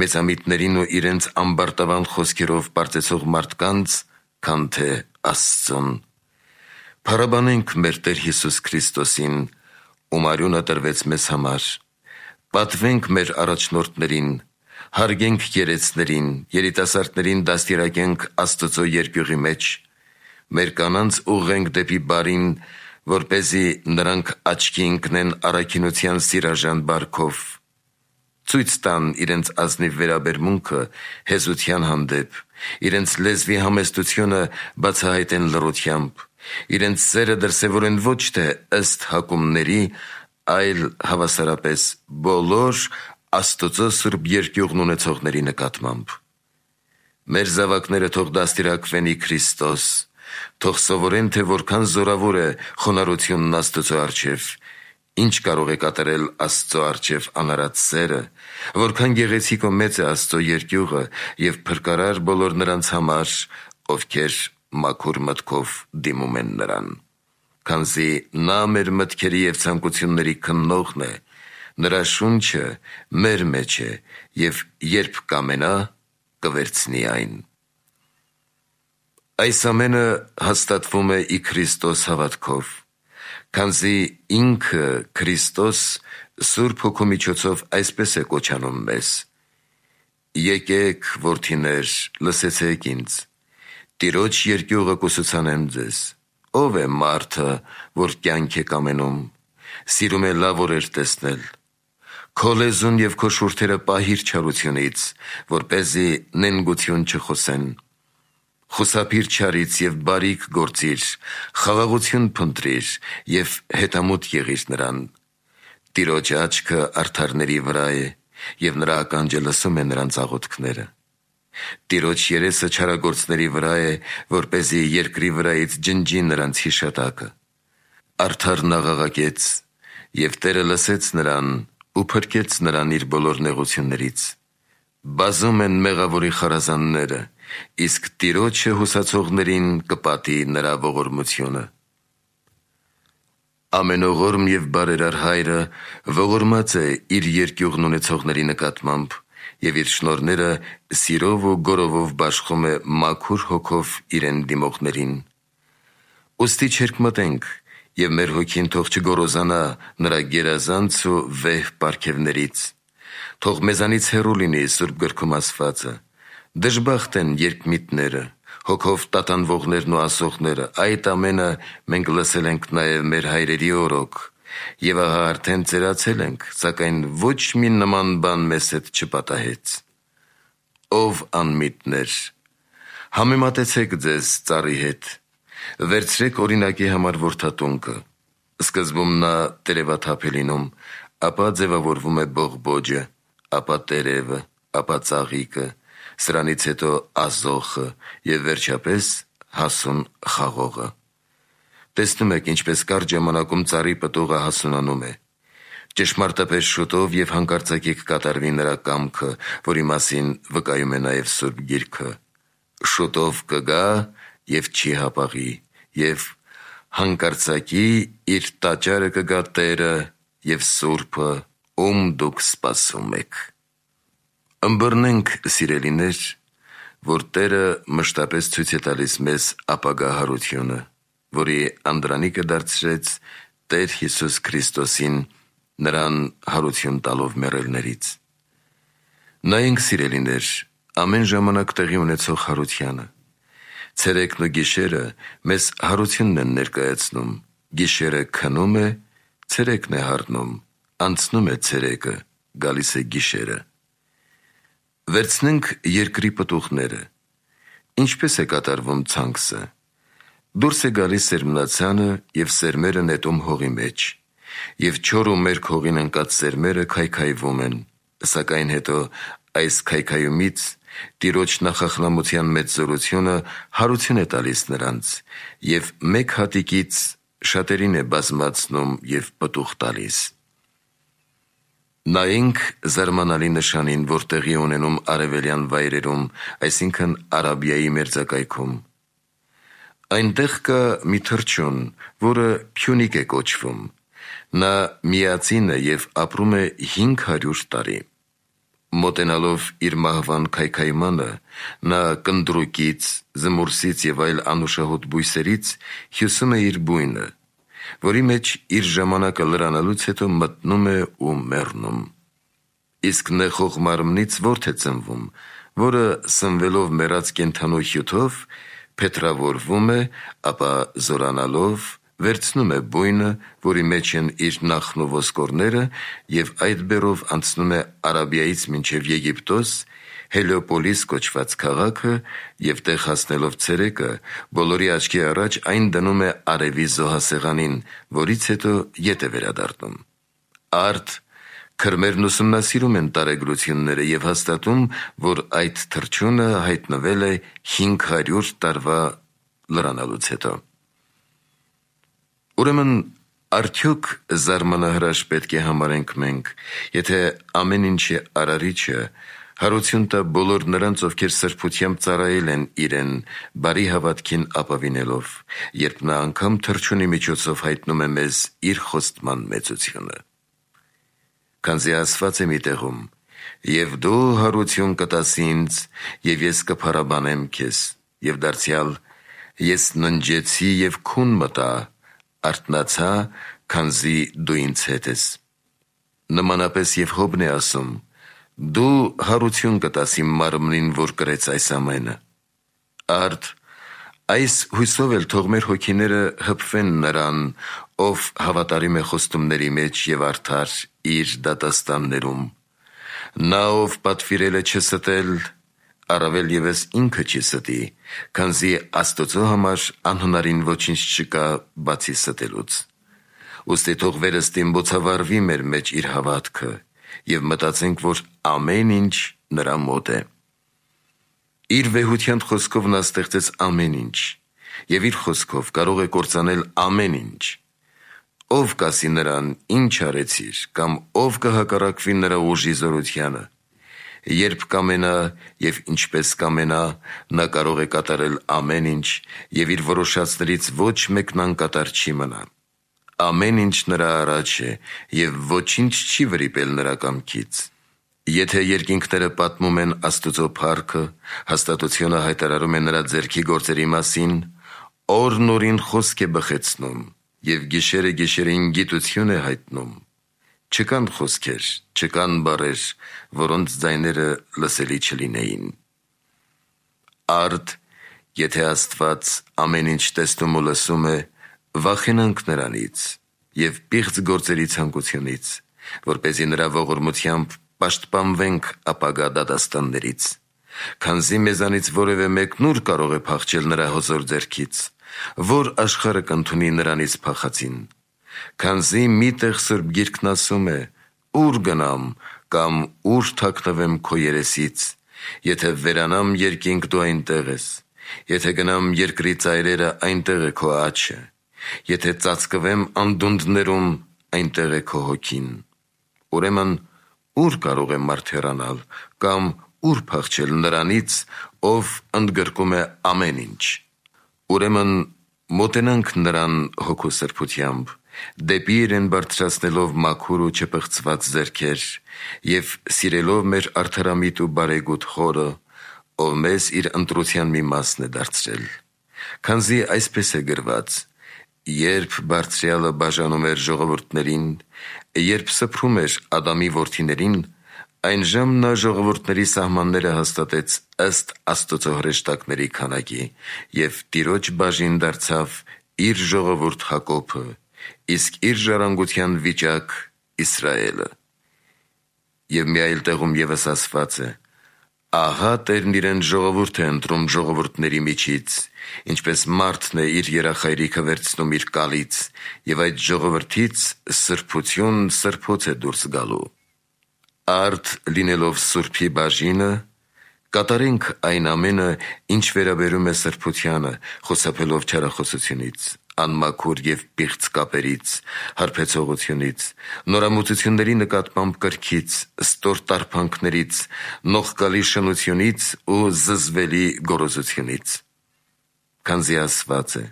մեծամիտներին ու իրենց ամբարտավան խոսքերով պարծեցող մարդկանց, քան թե Աստծուն։ Փառաբանենք մեր Տեր Հիսուս Քրիստոսին, ում արյունը տրվեց մեզ համար։ Պատվենք մեր առաջնորդներին, հարգենք երեցներին, երիտասարդներին դաստիարակենք Աստծո երկյուղի մեջ, մեր կանանց ուղղենք դեպի բարին, որպեսզի նրանք աչքի ընկնեն առաքինության սիրաժան բարքով, ցույց տան իրենց ազնիվ վերաբերմունքը հեզության հանդեպ, իրենց լեզվի համեստությունը բացահայտեն լռությամբ, իրենց սերը դրսևորեն ոչ թե ըստ հակումների, այլ հավասարապես բոլոր Աստծո սուրբ երկյուղն ունեցողների նկատմամբ։ Մեր զավակները թող դաստիարակվեն ի Քրիստոս, թող սովորեն, թե որքան զորավոր է խոնարհությունն Աստծո առջև, ինչ կարող է կատարել Աստծո առջև անարած սերը, որքան գեղեցիկ ու մեծ է Աստծո երկյուղը և փրկարար բոլոր նրանց համար, ովքեր մաքուր մտքով դիմում են նրան։ Քանզի նա մեր մտքերի և ցանկությունների քննողն է, նրա շունչը մեր մեջ է և երբ կամենա, կվերցնի այն։ Այս ամենը հաստատվում է ի Քրիստոս հավատքով, քանզի ինքը Քրիստոս Սուրբ Հոգու միջոցով այսպես է կոչանում մեզ. «Եկեք, որդիներ, լսեցեք ինձ, Տիրոջ երկյուղը կուսուցանեմ ձեզ։ Ով է մարդը, որ կյանք է կամենում, սիրում է լավ օրեր տեսնել։ Քո լեզուն և քո շուրթերը պահիր չարությունից, որպեսզի նենգություն չխոսեն։ Խուսափիր չարից և բարիք գործիր, խաղաղություն փնտրիր և հետամուտ եղիր նրան։ Տիրոջ աչքը արդարների վրա է, և նրա ականջը լսում է նրանց աղոթքները։ Տիրոջ երեսը չարագործների վրա է, որպեսզի երկրի վրայից ջնջի նրանց հիշատակը։ Արդարն աղաղակեց, և Տերը լսեց նրան ու փրկեց նրան իր բոլոր նեղություններից։ Բազում են մեղավորի խարազանները, իսկ Տիրոջը հուսացողներին կպատի նրա ողորմությունը։ Ամենողորմ և բարերար Հայրը ողորմած է իր երկյուղն ունեցողների նկատմամբ և իր շնորհները սիրով ու գոռովով բաշխում է մաքուր հոգով իրեն դիմողներին։ Ուստի չերկմտենք և մեր հոգին թող չգոռոզանա նրա գերազանց ու վեհ պարգևներից։ Թող մեզանից հեռու լինի Սուրբ գրքում ասվածը. «Դժբախտ են երկմիտները, հոգով տատանվողներն ու ասողները, այդ ամենը մենք լսել ենք նաև մեր հայրերի օրոք, և ահա արդեն ծերացել ենք, սակայն ոչ մի նման բան մեզ հետ չպատահեց»։ Ով անմիտներ, համեմատեցեք ձեզ ծառի հետ, վերցրեք օրինակի համար որդատունկը։ Սկզբում նա տերևաթափ է լինում, ապա ձևավորվում է բողբոջը, ապա տերևը, ապա ծաղիկը, սրանից հետո ազոխը և վերջապես հասուն խաղողը։ Տեսնում եք, ինչպես կարճ ժամանակում ծառի պտուղը հասունանում է։ Ճշմարտապես շուտով և հանկարծակի կկատարվի նրա կամքը, որի մասին վկայում է նաև Սուրբ Գիրքը. «Շուտով կգա և չի հապաղի, և հանկարծակի իր տաճարը կգա Տերը և Սուրբը, ում դուք սպասում եք։ Ըմբռնենք, սիրելիներ, որ Տերը մշտապես ցույց է տալիս մեզ ապագա հարությունը, որի անդրանիկը դարձրեց Տեր Հիսուս Քրիստոսին, նրան հարություն տալով մեռելներից։ Նայենք, սիրելիներ, ամեն ժամանակ տեղի ունեցող հարությանը։ Ցերեկն ու գիշերը մեզ հարությունն են ներկայացնում, գիշերը քնում է, ցերեկն է հառնում, անցնում է ցերեկը, գալիս է գիշերը։ Վերցնենք երկրի պտուղները։ Ինչպես է կատարվում ցանքսը։ Դուրս է գալիս սերմնացանը և սերմերը նետում հողի մեջ, և չոր ու մերկ հողին ընկած սերմերը քայքայվում են, սակայն հետո այս քայքայումից Տիրոջ նախախլամության մեծ զորությունը հարություն է տալիս նրանց, և մեկ հատիկից շատերին է բազմացնում և պտուղ տալիս։ Նայենք զարմանալի նշանին, որ տեղի ունենում արևելյան վայրերում, այսինքն Արաբիայի մերձակայքում։ Այնտեղ կա մի թռչուն, որը Փյունիկ է կոչվում։ Նա միածին է և ապրում է 500 տարի։ Մոտենալով իր մահվան քայքայմանը, նա կնդրուկից, զմուրսից և այլ անուշահոտ բույսերից հյուսում է իր բույնը, որի մեջ իր ժամանակը լրանալուց հետո մտնում է ու մեռնում։ Իսկ նեխող մարմնից որդի է ծնվում, որը սնվելով մեռած կենդանու հյութով փետրավորվում է, ապա զորանալով վերցնում է բույնը, որի մեջ են իր նախն ու ոսկորները, և այդ բեռով անցնում է Արաբիայից մինչև Եգիպտոս, Հելիոպոլիս կոչված քաղաքը, և տեղ հասնելով ցերեկը, բոլորի աչքի առաջ այն դնում է արևի զոհասեղանին, որից հետո ետ է վերադառնում։ Արդ քրմերն ուսումնասիրում են տարեգրությունները և հաստատում, որ այդ թռչունը հայտնվել է 500 տարվա լրանալուց հետո։ Ուրեմն, արդյոք զարմանահրաշ պետք է համարենք մենք, եթե ամեն ինչի արարիչը հարություն տա բոլոր նրանց, ովքեր սրբությամբ ծառայել են իրեն, բարի հավատքին ապավինելով, երբ նա անգամ թռչունի միջոցով հայտնում է մեզ իր խոստման մեծությունը։ Քանզի ասված է մի տեղում. «Եվ դու հարություն կտաս ինձ, և ես կփառաբանեմ քեզ, և դարձյալ ես ննջեցի և քուն մտա, արթնացա, քանզի դու ինձ հետ ես»։ Նմանապես և Հոբն է ասում. «Դու հարություն կտաս իմ մարմնին, որ կրեց այս ամենը»։ Արդ այս հույսով էլ թող մեր հոգիները հպվեն նրան, ով հավատարիմ է խոստումների մեջ և արդար իր դատաստաններում։ Նա, ով պատվիրել է չստել, առավել ևս ինքը չի ստի, քանզի Աստծո համար անհնարին ոչինչ չկա, բացի ստելուց։ Ուստի թող վերստին բոցավառվի մեր մեջ իր հավատքը, և մտածենք, որ ամեն ինչ նրա մոտ է։ Իր վեհության խոսքով նա ստեղծեց ամեն ինչ, և իր խոսքով կարող է կործանել ամեն ինչ։ Ով կասի նրան, ինչ արեցիր, կամ ով կհակառակվի նրա ուժի զորությանը։ Երբ կամենա և ինչպես կամենա, նա կարող է կատարել ամեն ինչ, և իր որոշածներից ոչ մեկն անկատար չի մնա։ Ամեն ինչ նրա առաջ է, և ոչինչ չի վրիպել նրա կամքից։ Եթե երկինքները պատմում են Աստծո փառքը, հաստատությունը հայտարարում է նրա ձեռքի գործերի մասին, օրն օրին խոսք է բխեցնում, և գիշերը գիշերին գիտություն է հայտնում։ Չկան խոսքեր, չկան բառեր, որոնց ձայները լսելի չլինեին։ Արդ, եթե Աստված ամեն ինչ տեսնում ու լսում է, վախենանք նրանից և պիղծ գործերի ցանկությունից, որպեսզի նրա ողորմությամբ պաշտպանվենք ապագա դատաստաններից, քանզի մեզանից որևէ մեկն ուր կարող է փախչել նրա հզոր ձեռքից, որ աշխարհը կընդունի նրանից փախածին, քանզի միտեղ Սուրբ Գիրքն ասում է. «Ուր գնամ կամ ուր թաքնվեմ քո երեսից, եթե վերանամ երկինք, դու այնտեղ ես, եթե գնամ երկրի ծայրերը, այնտեղ է քո աջը, եթե ծածկվեմ անդունդներում, այնտեղ է քո հոգին»։ Ուրեմն, ուր կարող է մարդ հեռանալ, կամ ուր փախչել նրանից, ով ընդգրկում է ամեն ինչ։ Ուրեմն մոտենանք նրան հոգու սրբությամբ, դեպի իրեն բարձրացնելով մաքուր ու չպղծված ձեռքեր և սիրելով մեր արդարամիտ ու բարեգութ Խորը, ով մեզ իր ընտրության մի մասն է դարձրել։ Քանզի այսպես է գրված. «Երբ Բարձրյալը բաժանում էր ժողովուրդներին, երբ սփռում էր Ադամի որդիներին, այնժամ նա ժողովուրդների սահմանները հաստատեց ըստ Աստծո հրեշտակների քանակի և Տիրոջ բաժին դարձավ իր ժողովուրդ Հակոբը, իսկ իր ժառանգության վիճակ Իսրայելը»։ Եվ մի այլ տեղում ևս ասված է. «Ահա Տերն իրեն ժողովուրդ է ընտրում ժողովուրդների միջից, ինչպես մարդն է իր երախայրիքը վերցնում իր կալից, և այդ ժողովրդից սրբություն սրբոց է դուրս գալու»։ Արդ լինելով Սուրբի բաժինը, կատարենք այն ամենը, ինչ վերաբերում է սրբությանը, խուսափելով չարախոսությունից, անմաքուր և պիղծ կապերից, հարբեցողությունից, նորամուծությունների նկատմամբ կրքից, ստոր տարփանքներից, նողկալի շնությունից ու զզվելի գոռոզությունից։ Քանզի ասված է.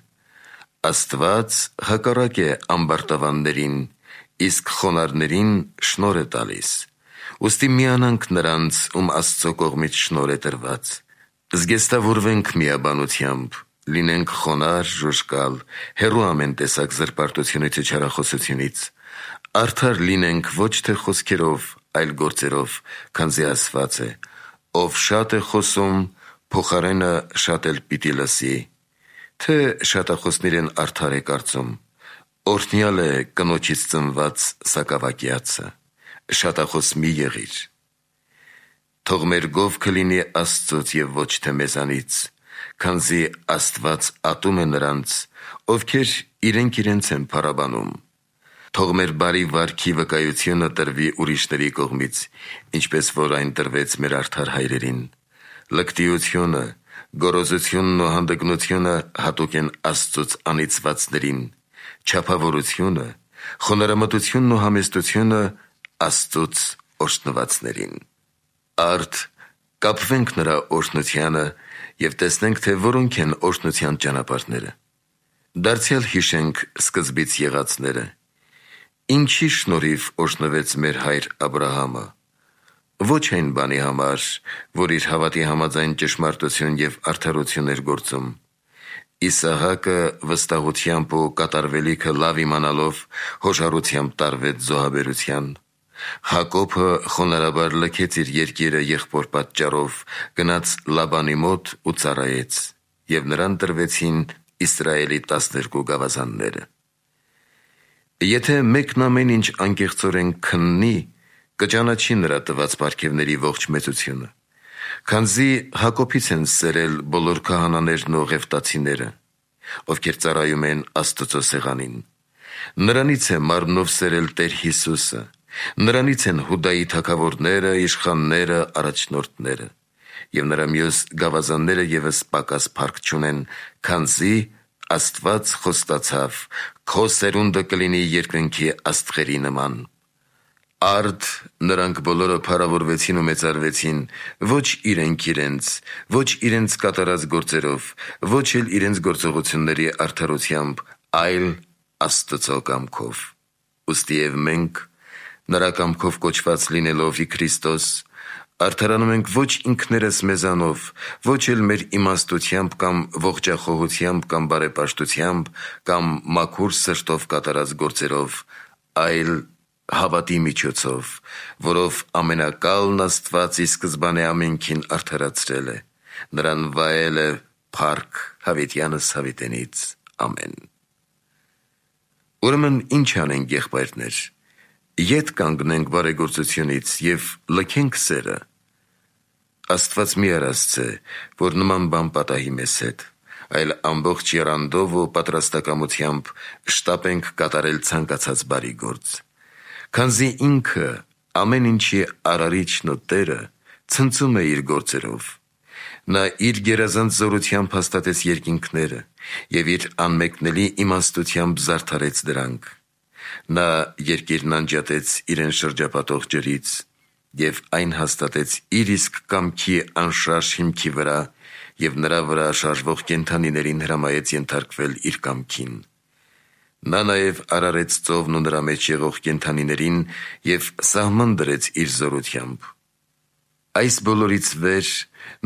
«Աստված հակառակ է ամբարտավաններին, իսկ խոնարհներին շնորհ է տալիս»։ Ուստի միանանք նրանց, ում Աստծո կողմից շնորհ է տրված։ Զգեստավորվենք միաբանությամբ, լինենք խոնարհ, ժուժկալ, հեռու ամեն տեսակ զրպարտությունից ու չարախոսությունից, արդար լինենք ոչ թե խոսքերով, այլ գործերով, քանզի ասված է. «Ով շատ է խոսում, փոխարենը շատ էլ պիտի լսի», թե շատախոսներն արդար է կարծում։ Օրհնյալ է կնոջից ծնված սակավակյացը։ Շատախոս մի եղիր։ Թող մեր գովքը լինի Աստծոց և ոչ թե մեզանից, քանզի Աստված ատում է նրանց, ովքեր իրենք իրենց են փառաբանում։ Թող մեր բարի վարքի վկայությունը տրվի ուրիշների կողմից, ինչպես որ այն տրվեց մեր արդար հայրերին։ Լկտիությունը, գոռոզությունն ու հանդգնությունը հատուկ են Աստծուց անիծվածներին, չափավորությունը, խոնարհամտությունն ու համեստությունը Աստծուց օրհնվածներին։ Արդ կապվենք նրա օրհնությանը և տեսնենք, թե որոնք են օրհնության ճանապարհները։ Դարձյալ հիշենք սկզբից եղածները։ Ինչի շնորհիվ օրհնվեց մեր հայր Աբրահամը։ Ոչ այն բանի համար, որ իր հավատի համաձայն ճշմարտություն և արդարություն էր գործում։ Իսահակը վստահությամբ ու կատարվելիքը լավ իմանալով հոժարությամբ տարվեց զոհաբերության։ Հակոբը խոնարհաբար լքեց իր երկիրը եղբոր պատճառով, գնաց Լաբանի մոտ ու ծառայեց, և նրան տրվեցին Իսրայելի 12 գավազանները։ Եթե մեկն ամեն ինչ անկեղծորեն քննի, կճանաչի նրա տված պարգևների ողջ մեծությունը, քանզի Հակոբից են սերել բոլոր քահանաներն ու ղևտացիները, ովքեր ծառայում են Աստծո սեղանին։ Նրանից է մարմնով սերել Տեր Հիսուսը, նրանից են Հուդայի թագավորները, իշխանները, առաջնորդները, և նրա մյուս գավազանները ևս պակաս փառք չունեն, քանզի Աստված խոստացավ. «Քո սերունդը կլինի երկնքի աստղերի նման»։ Արդ նրանք բոլորը փառավորվեցին ու մեծարվեցին ոչ իրենք, ոչ իրենց կատարած գործերով, ոչ էլ իրենց գործողությունների արդարությամբ, այլ Աստծո կամքով։ Ուստի և մենք, նրա կամքով կոչված լինելով ի Քրիստոս, արդարանում ենք ոչ ինքներս մեզանով, ոչ էլ մեր իմաստությամբ կամ ողջախոհությամբ կամ բարեպաշտությամբ կամ մաքուր սրտով կատարած գործերով, այլ հավատի միջոցով, որով ամենակալն Աստված ի սկզբանե ամենքին արդարացրել է, նրան վայել է փառք հավիտյանս հավիտենից։ Ամեն։ Ուրեմն ինչ անենք, եղբայրներ, ետ կանգնենք բարեգործությունից և լքենք սերը։ Աստված մի արածց է, որ նման բան պատահի մեզ հետ, այլ ամբողջ եռանդով ու պատրաստակամությամբ շտապենք կատարել ցանկացած բարի գործ։ Քանզի ինքը ամեն ինչի արարիչն ու Տերը ցնծում է իր գործերով։ Նա իր գերազանց զորությամբ հաստատեց երկինքները և իր անմեկնելի իմաստությամբ զարդարեց դրանք։ Նա երկիրն անջատեց իրեն շրջապատող ջրից և այն հաստատեց իր իսկ կամքի անշարժ հիմքի վրա և նրա վրա շարժվող կենդանիներին հրամայեց ենթարկվել իր կամքին։ Նա նաև արարեց ծովն ու նրա մեջ եղող կենդանիներին և սահման դրեց իր զորությամբ։ Այս բոլորից վեր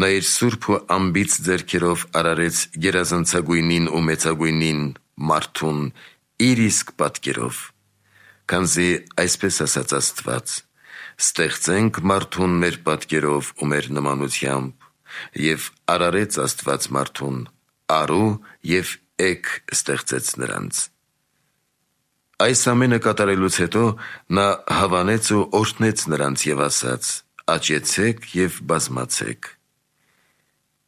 նա իր սուրբ ու անբիծ ձեռքերով արարեց գերազանցագույնին ու մեծագույնին մարդուն իր իսկ պատկերով, քանզի այսպես ասաց Աստված. «Ստեղծենք մարդուն մեր պատկերով ու մեր նմանությամբ, և արարեց Աստված մարդուն, արու և էգ ստեղծեց նրանց»։ Այս ամենը կատարելուց հետո նա հավանեց ու օրհնեց նրանց և ասաց. «Աճեցեք և բազմացեք»։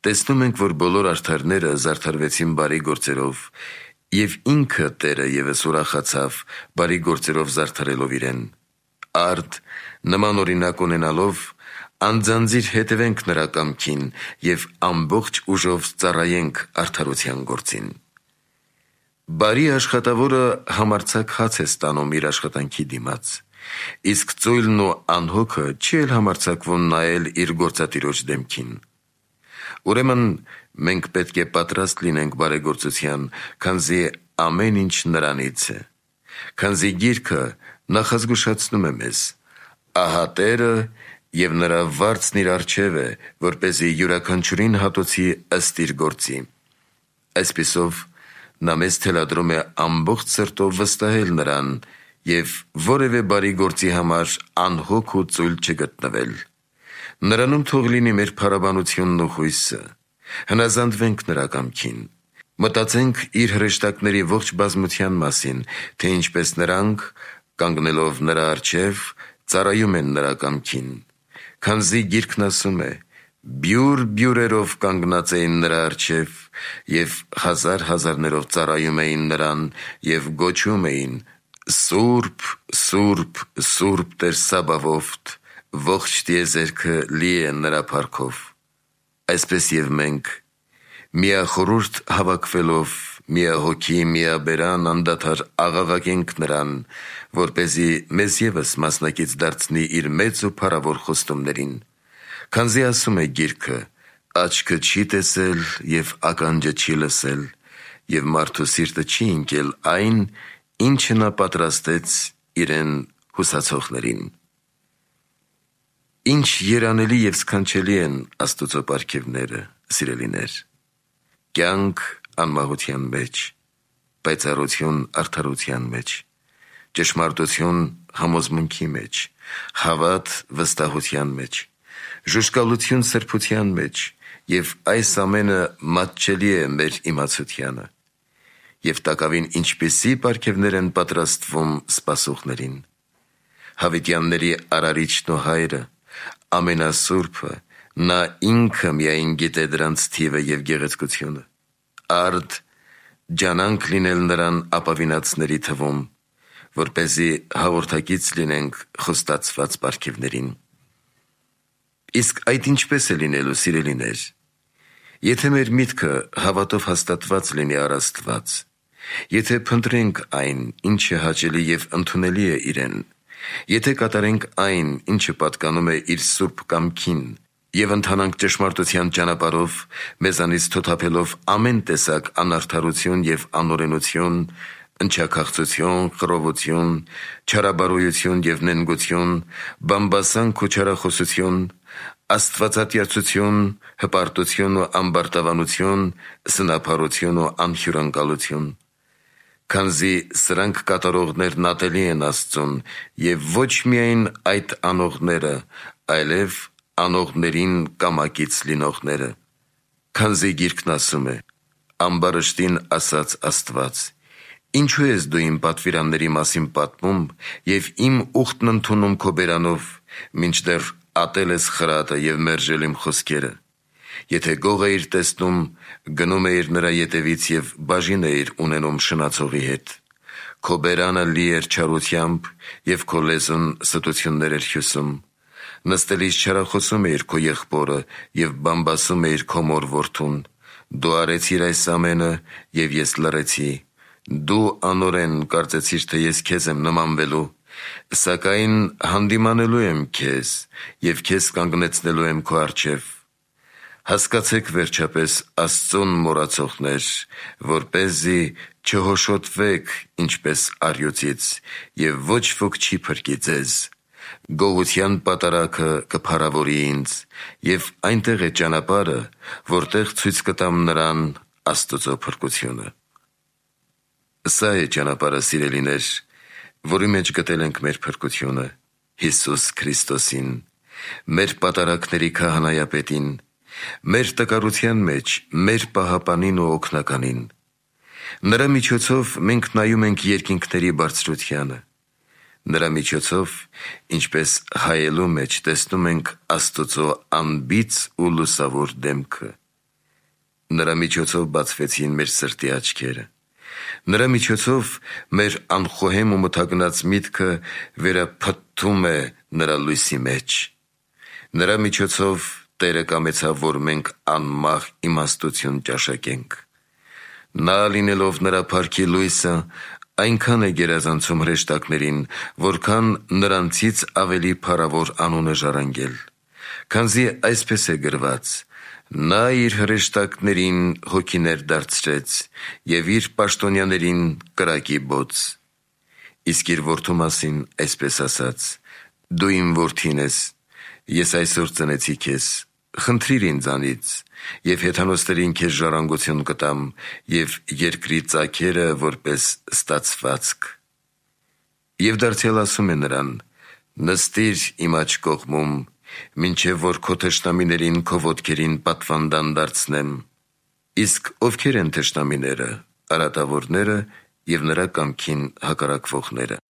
Տեսնում ենք, որ բոլոր արդարները զարդարվեցին բարի գործերով, և ինքը Տերը ևս ուրախացավ բարի գործերով զարդարելով իրեն։ Արդ նման օրինակ ունենալով անձանձիր հետևենք նրա կամքին և ամբողջ ուժով ծառայենք արդարության գործին։ Բարի աշխատավորը համարձակ հաց է ստանում իր աշխատանքի դիմաց, իսկ ծույլն ու անհոգը չի էլ համարձակվում նայել իր գործատիրոջ դեմքին։ Ուրեմն մենք պետք է պատրաստ լինենք բարեգործության, քանզի ամեն ինչ նրանից է։ Քանզի Գիրքը նախազգուշացնում է մեզ. «Ահա Տերը և նրա վարձն իր առջև է, որպեսզի յուրաքանչյուրին հատուցի ըստ իր գործի»։ Այսպիսով նա մեզ թելադրում է ամբողջ սրտով վստահել նրան և որևէ բարի գործի համար անհոգ ու ծույլ չգտնվել։ Նրանում թող լինի մեր փառաբանությունն ու հույսը։ Հնազանդվենք նրա կամքին։ Մտածենք իր հրեշտակների ողջ բազմության մասին, թե ինչպես նրանք, կանգնելով նրա առջև, ծառայում են նրա կամքին։ Քանզի Գիրքն ասում է. «Բյուր բյուրերով կանգնած էին նրա առջև և հազար հազարներով ծառայում էին նրան և գոչում էին. «Սուրբ, Սուրբ, Սուրբ Տեր Սաբավոթ, ողջ տիեզերքը լի է նրա փառքով»։ Այսպես և մենք, միախորհուրդ հավաքվելով, միահոգի, միաբերան անդադար աղաղակենք նրան, որպեսզի մեզ ևս մասնակից դարձնի իր մեծ ու փառավոր խոստումներին։ Քանզի ասում է Գիրքը. «Աչքը չի տեսել և ականջը չի լսել, և մարդու սիրտը չի ընկել այն, ինչը նա պատրաստեց իրեն հուսացողներին»։ Ինչ երանելի և սքանչելի են Աստուծո պարգևները, սիրելիներ։ Կյանք անմահության մեջ, պայծառություն արդարության մեջ, ճշմարտություն համոզմունքի մեջ, հավատ վստահության մեջ, ժուժկալություն սրբության մեջ, և այս ամենը մատչելի է մեր իմացությանը։ Եվ տակավին ինչպիսի պարգևներ են պատրաստվում սպասողներին։ Հավիտյանների արարիչն ու հայրը, ամենասուրբը, նա ինքը միայն գիտե դրանց թիվը և գեղեցկությունը։ Արդ ջանանք լինել նրան ապավինածների թվում, որպեսզի հաղորդակից լինենք խոստացված պարգևներին։ Իսկ այդ ինչպես է լինելու, սիրելիներ։ Եթե մեր միտքը հավատով հաստատված լինի առ Աստված, եթե փնտրենք այն, ինչը հաճելի և ընդունելի է իրեն, եթե կատարենք այն, ինչը պատկանում է իր սուրբ կամքին, և ընթանանք ճշմարտության ճանապարհով, մեզանից թոթափելով ամեն տեսակ անարդարություն և անօրենություն, ընչաքաղցություն, խռովություն, չարաբարոյություն և նենգություն, բամբասանք ու չարախոսություն, աստվածատյացություն, հպարտություն ու ամբարտավանություն, սնափառություն ու անհյուրընկալություն։ Քանզի սրանք կատարողներն ատելի են Աստծուն, և ոչ միայն այդ անողները, այլև անողներին կամակից լինողները։ Քանզի Գիրքն ասում է. «Ամբարշտին ասաց Աստված. ինչու ես դու իմ պատվիրանների մասին պատմում և իմ ուխտն ընդունում քո բերանով, մինչդեռ ատել ես խրատը և մերժել իմ խոսքերը։ Եթե գող էիր տեսնում, գնում էիր նրա ետևից և բաժին էիր ունենում շնացողի հետ։ Քո բերանը լի էր չարությամբ, և քո լեզուն ստություններ էր հյուսում։ Նստելիս չարախոսում էիր քո եղբորը և բամբասում էիր քո մոր որդուն։ Դու արեցիր այս ամենը, և ես լռեցի։ Դու անօրեն կարծեցիր, թե ես քեզ եմ նմանվելու, սակայն հանդիմանելու եմ քեզ և քեզ կանգնեցնելու եմ քո առջև։ Հասկացեք վերջապես Աստծուն մոռացողներ, որպեսզի չհոշոտվեք ինչպես առյուծից, և ոչ ոք չի փրկի ձեզ։ Գողության պատարագը կփառավորի ինձ, և այնտեղ է ճանապարհը, որտեղ ցույց կտամ նրան Աստծո փրկությունը։ Սա է ճանապարհը, սիրելիներ, որի մեջ գտել ենք մեր փրկությունը, Հիսուս Քրիստոսին, մեր պատարագների քահանայապետին, մեր տկարության մեջ մեր պահապանին ու օգնականին։ Նրա միջոցով մենք նայում ենք երկինքների բարձրությանը։ Նրա միջոցով, ինչպես հայելու մեջ, տեսնում ենք Աստծո անբիծ ու լուսավոր դեմքը։ Նրա միջոցով բացվեցին մեր սրտի աչքերը։ Նրա միջոցով մեր անխոհեմ ու մթագնած միտքը վերափթթում է նրա լույսի մեջ։ Նրա միջոցով Տերը կամեցավ, որ մենք անմահ իմաստություն ճաշակենք։ Նա, լինելով նրա փառքի լույսը, այնքան է գերազանցում հրեշտակներին, որքան նրանցից ավելի փառավոր անուն է ժառանգել, քանզի այսպես է գրված. «Նա իր հրեշտակներին հոգիներ դարձրեց և իր պաշտոնյաներին կրակի բոց»։ Իսկ իր որդու մասին այսպես ասաց. «Դու իմ որդին ես, ես այսօր ծնեցի քեզ, խնդրիր ինձանից, և հեթանոսներին քեզ ժառանգություն կտամ, և երկրի ծագերը որպես ստացվածք»։ Եվ դարձյալ ասում է նրան. «Նստիր իմ աջ կողմում, մինչև որ քո թշնամիներին քո ոտքերին պատվանդան դարձնեմ»։ Իսկ ովքեր են թշնամիները, արատավորները և նրա կամքին հակառակվողները։